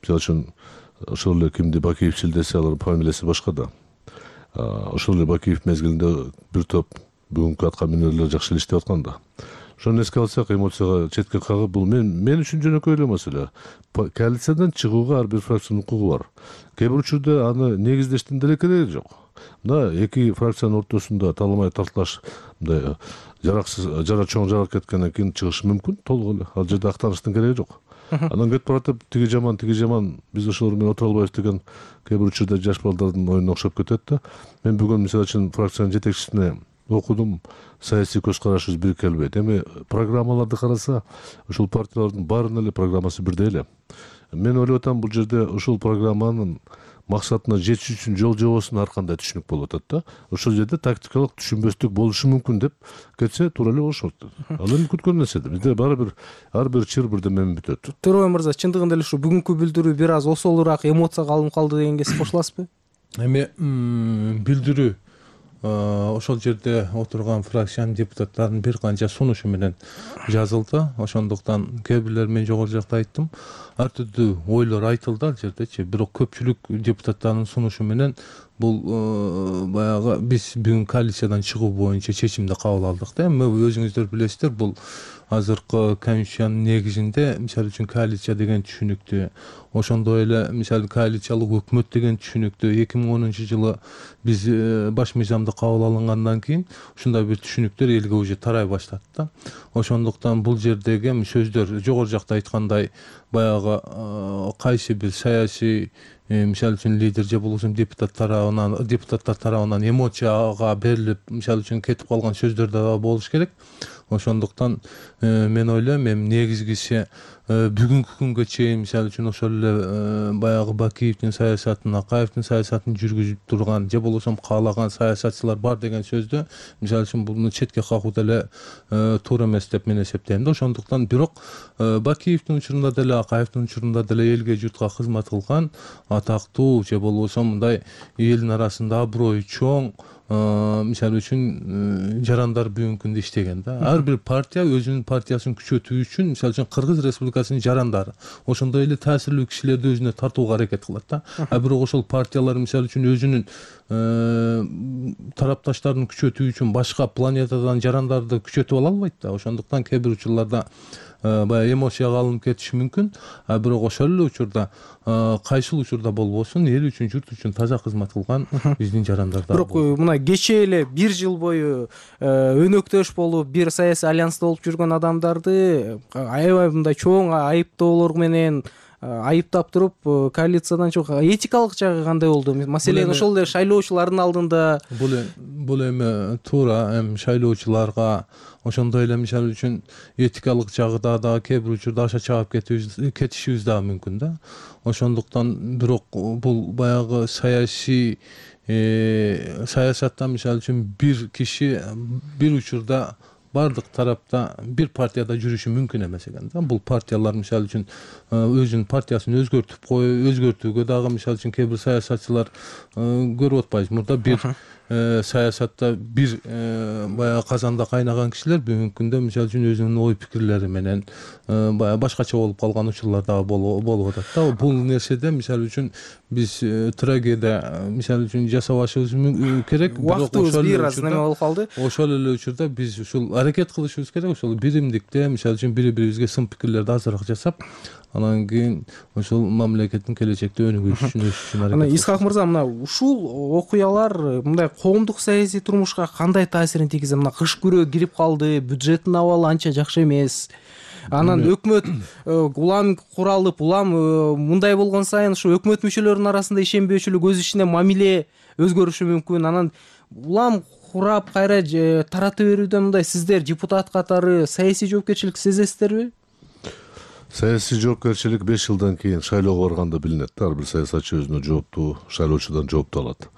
Speaker 21: мисалы үчүн ошол эле кимди Бакиевчил десе, алардын фамилиясы башка да. Ошол эле Бакиев мезгилинде бир топ бүгүнкү атка минерлер жакшы эле иштеп аткан да. Ошону эске алсак, эмоцияга четке кагып, бул мен үчүн жөнөкөй эле маселе. Коалициядан чыгууга ар бир фракциянын укугу бар. Кээ бир учурда аны негиздештин деле кереги жок. Мына эки фракциянын ортосунда таламай тартылаш, мындай жара чоң жарак кеткенден кийин чыгышы мүмкүн, толук эле. Ал жерде актаныштын кереги жок. Анан кетип баратып тиги жаман, биз ошолор менен отура албайбыз деген кээ бир учурда жаш балдардын оюна окшоп кетет да. Мен бүгүн мисалы үчүн фракциянын жетекчисине окудум, саясий көз карашыбыз бир келбейт. Эми программаларды караса, ошол партиялардын баарынын эле программасы бирдей эле. Мен ойлоп атам, бул жерде ошол программанын максатына жетиш үчүн жол жобосуна ар кандай түшүнүк болуп атат да. Ошол жерде тактикалык түшүнбөстүк болушу мүмкүн деп кетсе туура эле болушот. Ал эми күткөн нерсе. Бизде баары бир ар бир чыр бирден менен бүтөт.
Speaker 19: Төрөбай мырза, чындыгында эле ушу бүгүнкү билдирүү бир аз осолураак эмоцияга алынып калды дегенге сиз кошуласызбы?
Speaker 20: Эми билдирүү ошол жерде отурган фракциянын депутаттарынын бир канча сунушу менен жазылды. Ошондуктан кээ бирлер, мен жогору жакта айттым, ар түрдүү ойлор айтылды ал жердечи. Бирок көпчүлүк депутаттардын сунушу менен бул баягы биз бүгүн коалициядан чыгуу боюнча чечимди кабыл алдык да. Эми өзүңүздөр билесиздер, бул азыркы конституциянын негизинде мисалы үчүн коалиция деген түшүнүктү, ошондой эле мисалы коалициялык өкмөт деген түшүнүктү 2010-жылы биз баш мыйзамды кабыл алынгандан кийин ушундай бир түшүнүктөр элге уже тарай баштады да. Ошондуктан бул жердеги сөздөр жогору жакта айткандай баягы кайсы бир саясий мисалы үчүн лидер же болбосо депутаттар тарабынан эмоцияга берилип мисалы үчүн кетип калган сөздөр да болуш керек. Ошондуктан мен ойлойм, эми негизгиси бүгүнкү күнгө чейин мисалы үчүн ошол эле баягы Бакиевдин саясатын, Акаевдин саясатын жүргүзүп турган же болбосо каалаган саясатчылар бар деген сөздү мисалы үчүн буну четке кагуу деле туура эмес деп мен эсептейм да. Ошондуктан бирок Бакиевдин учурунда деле, Акаевдин учурунда деле элге журтка кызмат кылган атактуу же болбосо мындай элдин арасында аброю чоң мисалы үчүн жарандар бүгүнкү күндө иштеген да. Ар бир партия өзүнүн партиясын күчөтүү үчүн мисалы үчүн Кыргыз Республикасынын жарандары ошондой эле таасирлүү кишилерди өзүнө тартууга аракет кылат да. Бирок ошол партиялар мисалы үчүн өзүнүн тарапташтарын күчөтүү үчүн башка планетадан жарандарды күчөтүп ала албайт да. Ошондуктан кээ бир учурларда баягы эмоцияга алынып кетиши мүмкүн. Бирок ошол эле учурда кайсыл учурда болбосун эл үчүн, журт үчүн таза кызмат кылган биздин жарандар да.
Speaker 19: Бирок мына кечээ эле бир жыл бою өнөктөш болуп, бир саясий альянста болуп жүргөн адамдарды аябай мындай чоң айыптоолор менен айыптап туруп, коалициядан чыгуу этикалык жагы кандай болду? Маселен, ошол эле шайлоочулардын алдында
Speaker 20: бул эми туура, эми шайлоочуларга ошондой эле мисалы үчүн этикалык жагыда да кээ бир учурда аша чаап кетишибиз дагы мүмкүн да. Ошондуктан бирок бул баягы саясатта мисалы үчүн бир киши бир учурда бардык тарапта бир партияда жүрүшү мүмкүн эмес экен да. Бул партиялар мисалы үчүн өзүнүн партиясын өзгөртүүгө дагы мисалы үчүн кээ бир саясатчылар көрүп атпайбыз. Мурда бир саясатта бир баягы казанда кайнаган кишилер бүгүнкү күндө мисалы үчүн өзүнүн ой пикирлери менен баягы башкача болуп калган учурлар дагы болуп атат да. Бул нерседе мисалы үчүн биз трагедия мисалы үчүн жасабашыбыз керек.
Speaker 19: Убактыбыз бир аз неме болуп калды.
Speaker 20: Ошол эле учурда биз ушул аракет кылышыбыз керек. Ошол биримдикте мисалы үчүн бири-бирибизге сын пикирлерди азыраак жасап, анан кийин ошол мамлекеттин келечекте өнүгүшү үчүн аракет.
Speaker 19: Анан Исхак мырза, мына ушул окуялар мындай коомдук саясий турмушка кандай таасирин тийгизет? Мына кыш күрөө кирип калды, бюджеттин абалы анча жакшы эмес. Анан өкмөт улам куралып, улам мындай болгон сайын ушу өкмөт мүчөлөрүнүн арасында ишенбөөчүлүк, өз ичинде мамиле өзгөрүшү мүмкүн. Анан улам курап кайра тарата берүүдө мындай сиздер депутат катары саясий жоопкерчилик сезесиздерби?
Speaker 21: Саясий жоопкерчилик 5 жылдан кийин шайлоого барганда билинет да. Ар бир саясатчы өзүнө жооптуу, шайлоочудан жоопту алат.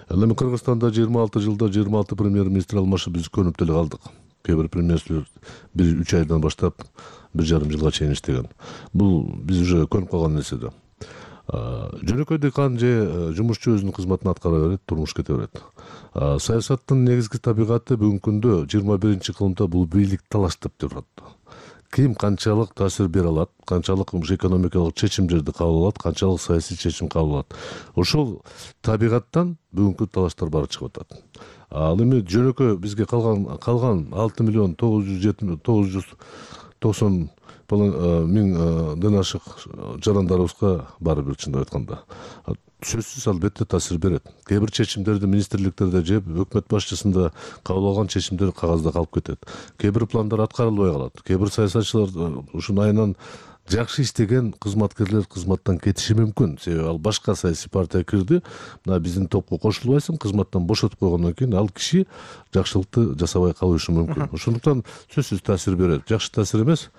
Speaker 21: Эми Кыргызстанда 26 жылда 26 премьер-министр алмашып биз көнүп деле калдык. Кээ бир премьер-министрлер 1-3 айдан баштап 1,5 жылга чейин иштеген. Бул биз уже көнүп калган нерсе да. жөнөкөй дыйкан же жумушчу өзүнүн кызматын аткара берет, турмуш кете берет. Саясаттын негизги табигаты бүгүнкү күндө 21 кылымда бул бийлик талаштап турат. Ким канчалык таасир бере алат, канчалык экономикалык чечимдерди кабыл алат, канчалык саясий чечим кабыл алат. Ошол табигаттан бүгүнкү талаштар баары чыгып атат. Ал эми жөнөкөй бизге калган 6 миллион 990 миңден ашык жарандарыбызга баары бир чындап айтканда сөзсүз албетте таасир берет. Кээ бир чечимдерди министрликтерде же өкмөт башчысында кабыл алган чечимдер кагазда калып кетет. Кээ бир пландар аткарылбай калат. Кээ бир саясатчылар ушунун айынан жакшы иштеген кызматкерлер кызматтан кетиши мүмкүн. Себеби ал башка саясий партия кирди, мына биздин топко кошулбайсың, кызматтан бошотуп койгондон кийин ал киши жакшылыкты жасабай калышы мүмкүн. Ошондуктан сөзсүз таасир берет. Жакшы таасир эмес,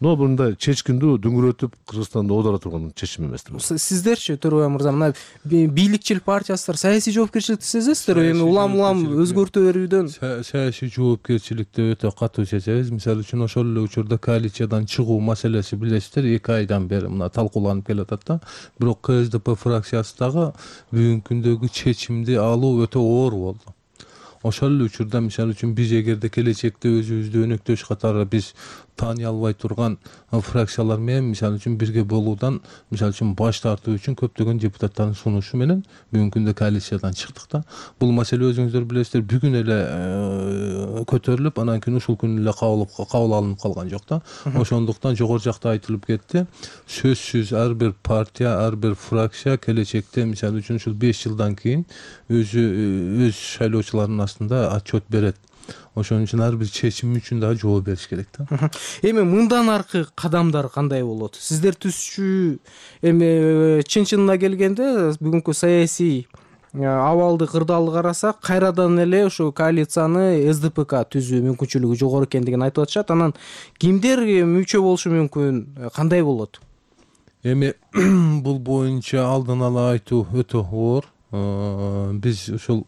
Speaker 21: но мындай чечкиндүү дүңгүрөтүп Кыргызстанды оодара турган чечим эмес.
Speaker 19: Сиздерчи Төрөбай мырза, мына бийликчил партиялар саясий жоопкерчиликти сезесиздерби? Эми улам өзгөртө берүүдөн
Speaker 20: саясий жоопкерчиликти өтө катуу сезебиз. Мисалы үчүн ошол эле учурда коалициядан чыгуу маселеси билесиздер 2 айдан бери мына талкууланып келатат да. Бирок КСДП фракциясы дагы бүгүнкү күндөгү чечимди алуу өтө оор болду. Ошол эле учурда мисалы үчүн биз эгерде келечекте өзүбүздү өнөктөш катары биз таани албай турган фракциялар менен мисалы үчүн бирге болуудан мисалы үчүн баш тартуу үчүн көптөгөн депутаттардын сунушу менен бүгүнкү күндө коалициядан чыктык да. Бул маселе өзүңүздөр билесиздер бүгүн эле көтөрүлүп, анан кийин ушул күнү эле кабыл алынып калган жок да. Ошондуктан жогору жакта айтылып кетти. Сөзсүз ар бир партия, ар бир фракция келечекте мисалы үчүн ушул 5 жылдан кийин өз шайлоочуларынын астында отчет берет. Ошон үчүн ар бир чечим үчүн дагы жооп бериш керек да.
Speaker 19: Эми мындан аркы кадамдар кандай болот? Сиздер түзчү эми чын-чынына келгенде бүгүнкү саясий абалды кырдаалды карасак, кайрадан эле ошо коалицияны СДПК түзүү мүмкүнчүлүгү жогору экендигин айтып атышат. Анан кимдер мүчө болушу мүмкүн? Кандай болот?
Speaker 20: Эми бул боюнча алдын ала айтуу өтө оор. Биз ушул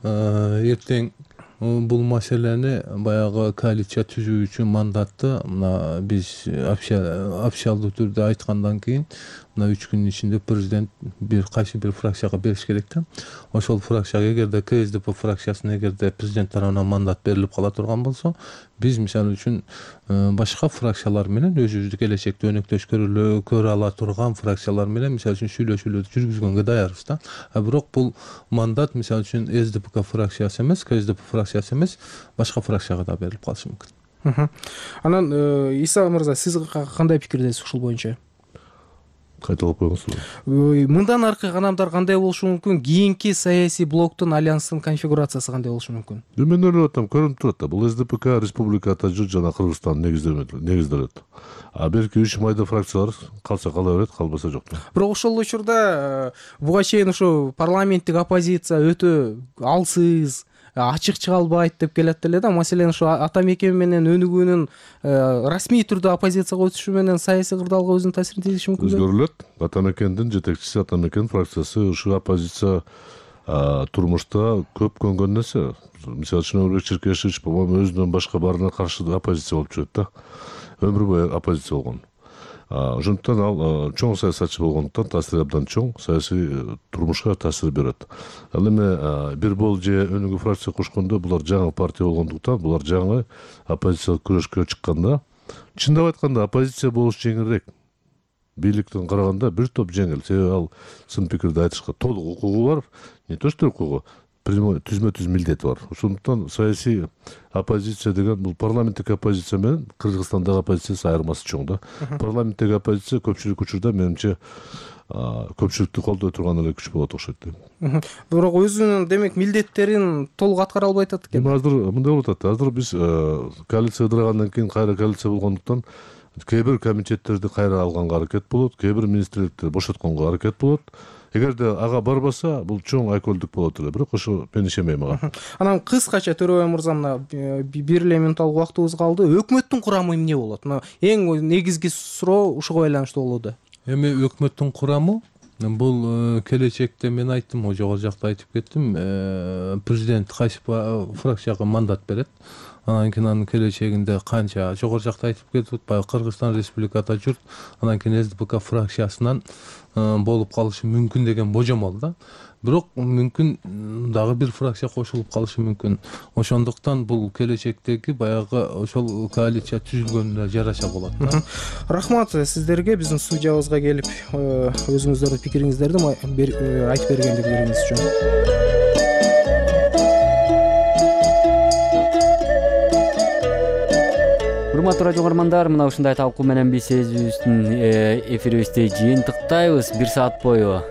Speaker 20: эртең бул маселени баягы коалиция түзүү үчүн мандатты мына биз официалдуу түрдө айткандан кийин мына 3 күнүн ичинде президент кайсы бир фракцияга бериш керек да. Ошол фракцияга эгерде КСДП фракциясына эгерде президент тарабынан мандат берилип кала турган болсо, биз мисалы үчүн башка фракциялар менен өзүбүздү келечекте өнөктөш көрө ала турган фракциялар менен мисалы үчүн сүйлөшүүлөрдү жүргүзгөнгө даярбыз да. Бирок бул мандат мисалы үчүн СДПК фракциясы эмес, КСДП фракциясы эмес, башка фракцияга да берилип калышы мүмкүн.
Speaker 19: Анан Иса мырза, сиз кандай пикирдесиз ушул боюнча?
Speaker 21: Кайталап коюңузбу.
Speaker 19: Мындан аркы кадамдар кандай болушу мүмкүн? Кийинки саясий блоктун альянстын конфигурациясы кандай болушу мүмкүн?
Speaker 21: Мен ойлоп атам, көрүнүп турат да. Бул СДПК республика атажы жана Кыргызстан негизделет. Берки 3 майда фракциялар калса кала берет, калбаса жок.
Speaker 19: Бирок ошол учурда буга чейин ушу парламенттик оппозиция өтө алсыз, ачык чыга албайт деп келет эле да. Маселен ушу ата мекен менен өнүгүүнүн расмий түрдө оппозицияга өтүшү менен саясий кырдаалга өзүнүн таасирин тийгизиши мүмкүн.
Speaker 21: Өзгөрүлөт. Ата мекендин жетекчиси, ата мекен фракциясы ушу оппозиция турмушта көп көнгөн нерсе. Мисалы үчүн Өмүрбек Черкешевич по-моему өзүнөн башка баарына каршы оппозиция болуп жүрөт да. Өмүр бою оппозиция болгон. Ошондуктан ал чоң саясатчы болгондуктан таасири абдан чоң, саясий турмушка таасир берет. Ал эми бир бол же өнүгүү фракция курушкондо булар жаңы партия болгондуктан, булар жаңы оппозициялык күрөшкө чыкканда, чындап айтканда оппозиция болуш жеңилирээк. Бийликтен караганда бир топ жеңил. Себеби ал сын пикирди айтышка толук укугу бар, не то что укугу, түзмө-түз милдети бар. Ошондуктан саясий оппозиция деген бул парламенттик оппозиция менен Кыргызстандагы оппозициясы айырмасы чоң да. Парламенттик оппозиция көпчүлүк учурда менимче көпчүлүктү колдой турган эле күч болот окшойт дейм.
Speaker 19: Бирок өзүнүн демек милдеттерин толук аткара албай атат экен.
Speaker 21: Азыр мындай болуп атат. Азыр биз коалиция ыдырагандан кийин кайра коалиция болгондуктан кээ бир комитеттерди кайра алганга аракет болот, кээ бир министрликти бошотконго аракет болот. Эгерде ага барбаса, бул чоң айкөлдүк болот эле. Бирок ошо мен ишенбейм ага.
Speaker 19: Анан кыскача Төрөбай мырза, мына бир эле минутталык убактыбыз калды. Өкмөттүн курамы эмне болот? Мына эң негизги суроо ушуга байланыштуу болууда.
Speaker 20: Эми өкмөттүн курамы бул келечекте мен айттым, жогору жакта айтып кеттим, президент кайсы фракцияга мандат берет. анан кийин анын келечегинде канча жогору жакта айтып кетип баягы Кыргызстан Республикада жүрүп, анан кийин СДПК фракциясынан болуп калышы мүмкүн деген божомол да. Бирок мүмкүн дагы бир фракция кошулуп калышы мүмкүн. Ошондуктан бул келечектеги баягы ошол коалиция түзүлгөнүнө жараша болот да.
Speaker 19: Рахмат сиздерге биздин студиябызга келип өзүңүздөрдүн пикириңиздерди айтып бергендиктериңиз үчүн.
Speaker 1: Урматтуу радио угармандар, мына ушундай талкуу менен биз эфирибизди жыйынтыктайбыз. 1 саат бою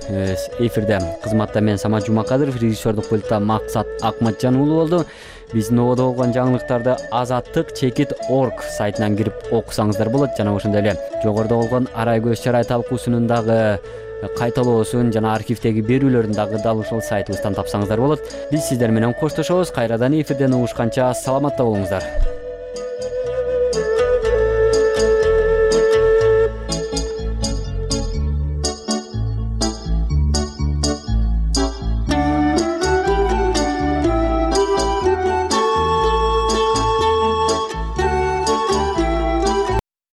Speaker 1: эфирде кызматта мен Самат Жумакадыров, режиссердук пультта Максат Акматжан уулу болду. Биздин ободо болгон жаңылыктарды azattik.org сайтынан кирип окусаңыздар болот. Жана ошондой эле жогоруда болгон арай көз чарай талкуусунун дагы кайталоосун жана архивдеги берүүлөрүн дагы дал ушул сайтыбыздан тапсаңыздар болот. Биз сиздер менен коштошобуз. Кайрадан эфирден угушканча саламатта болуңуздар.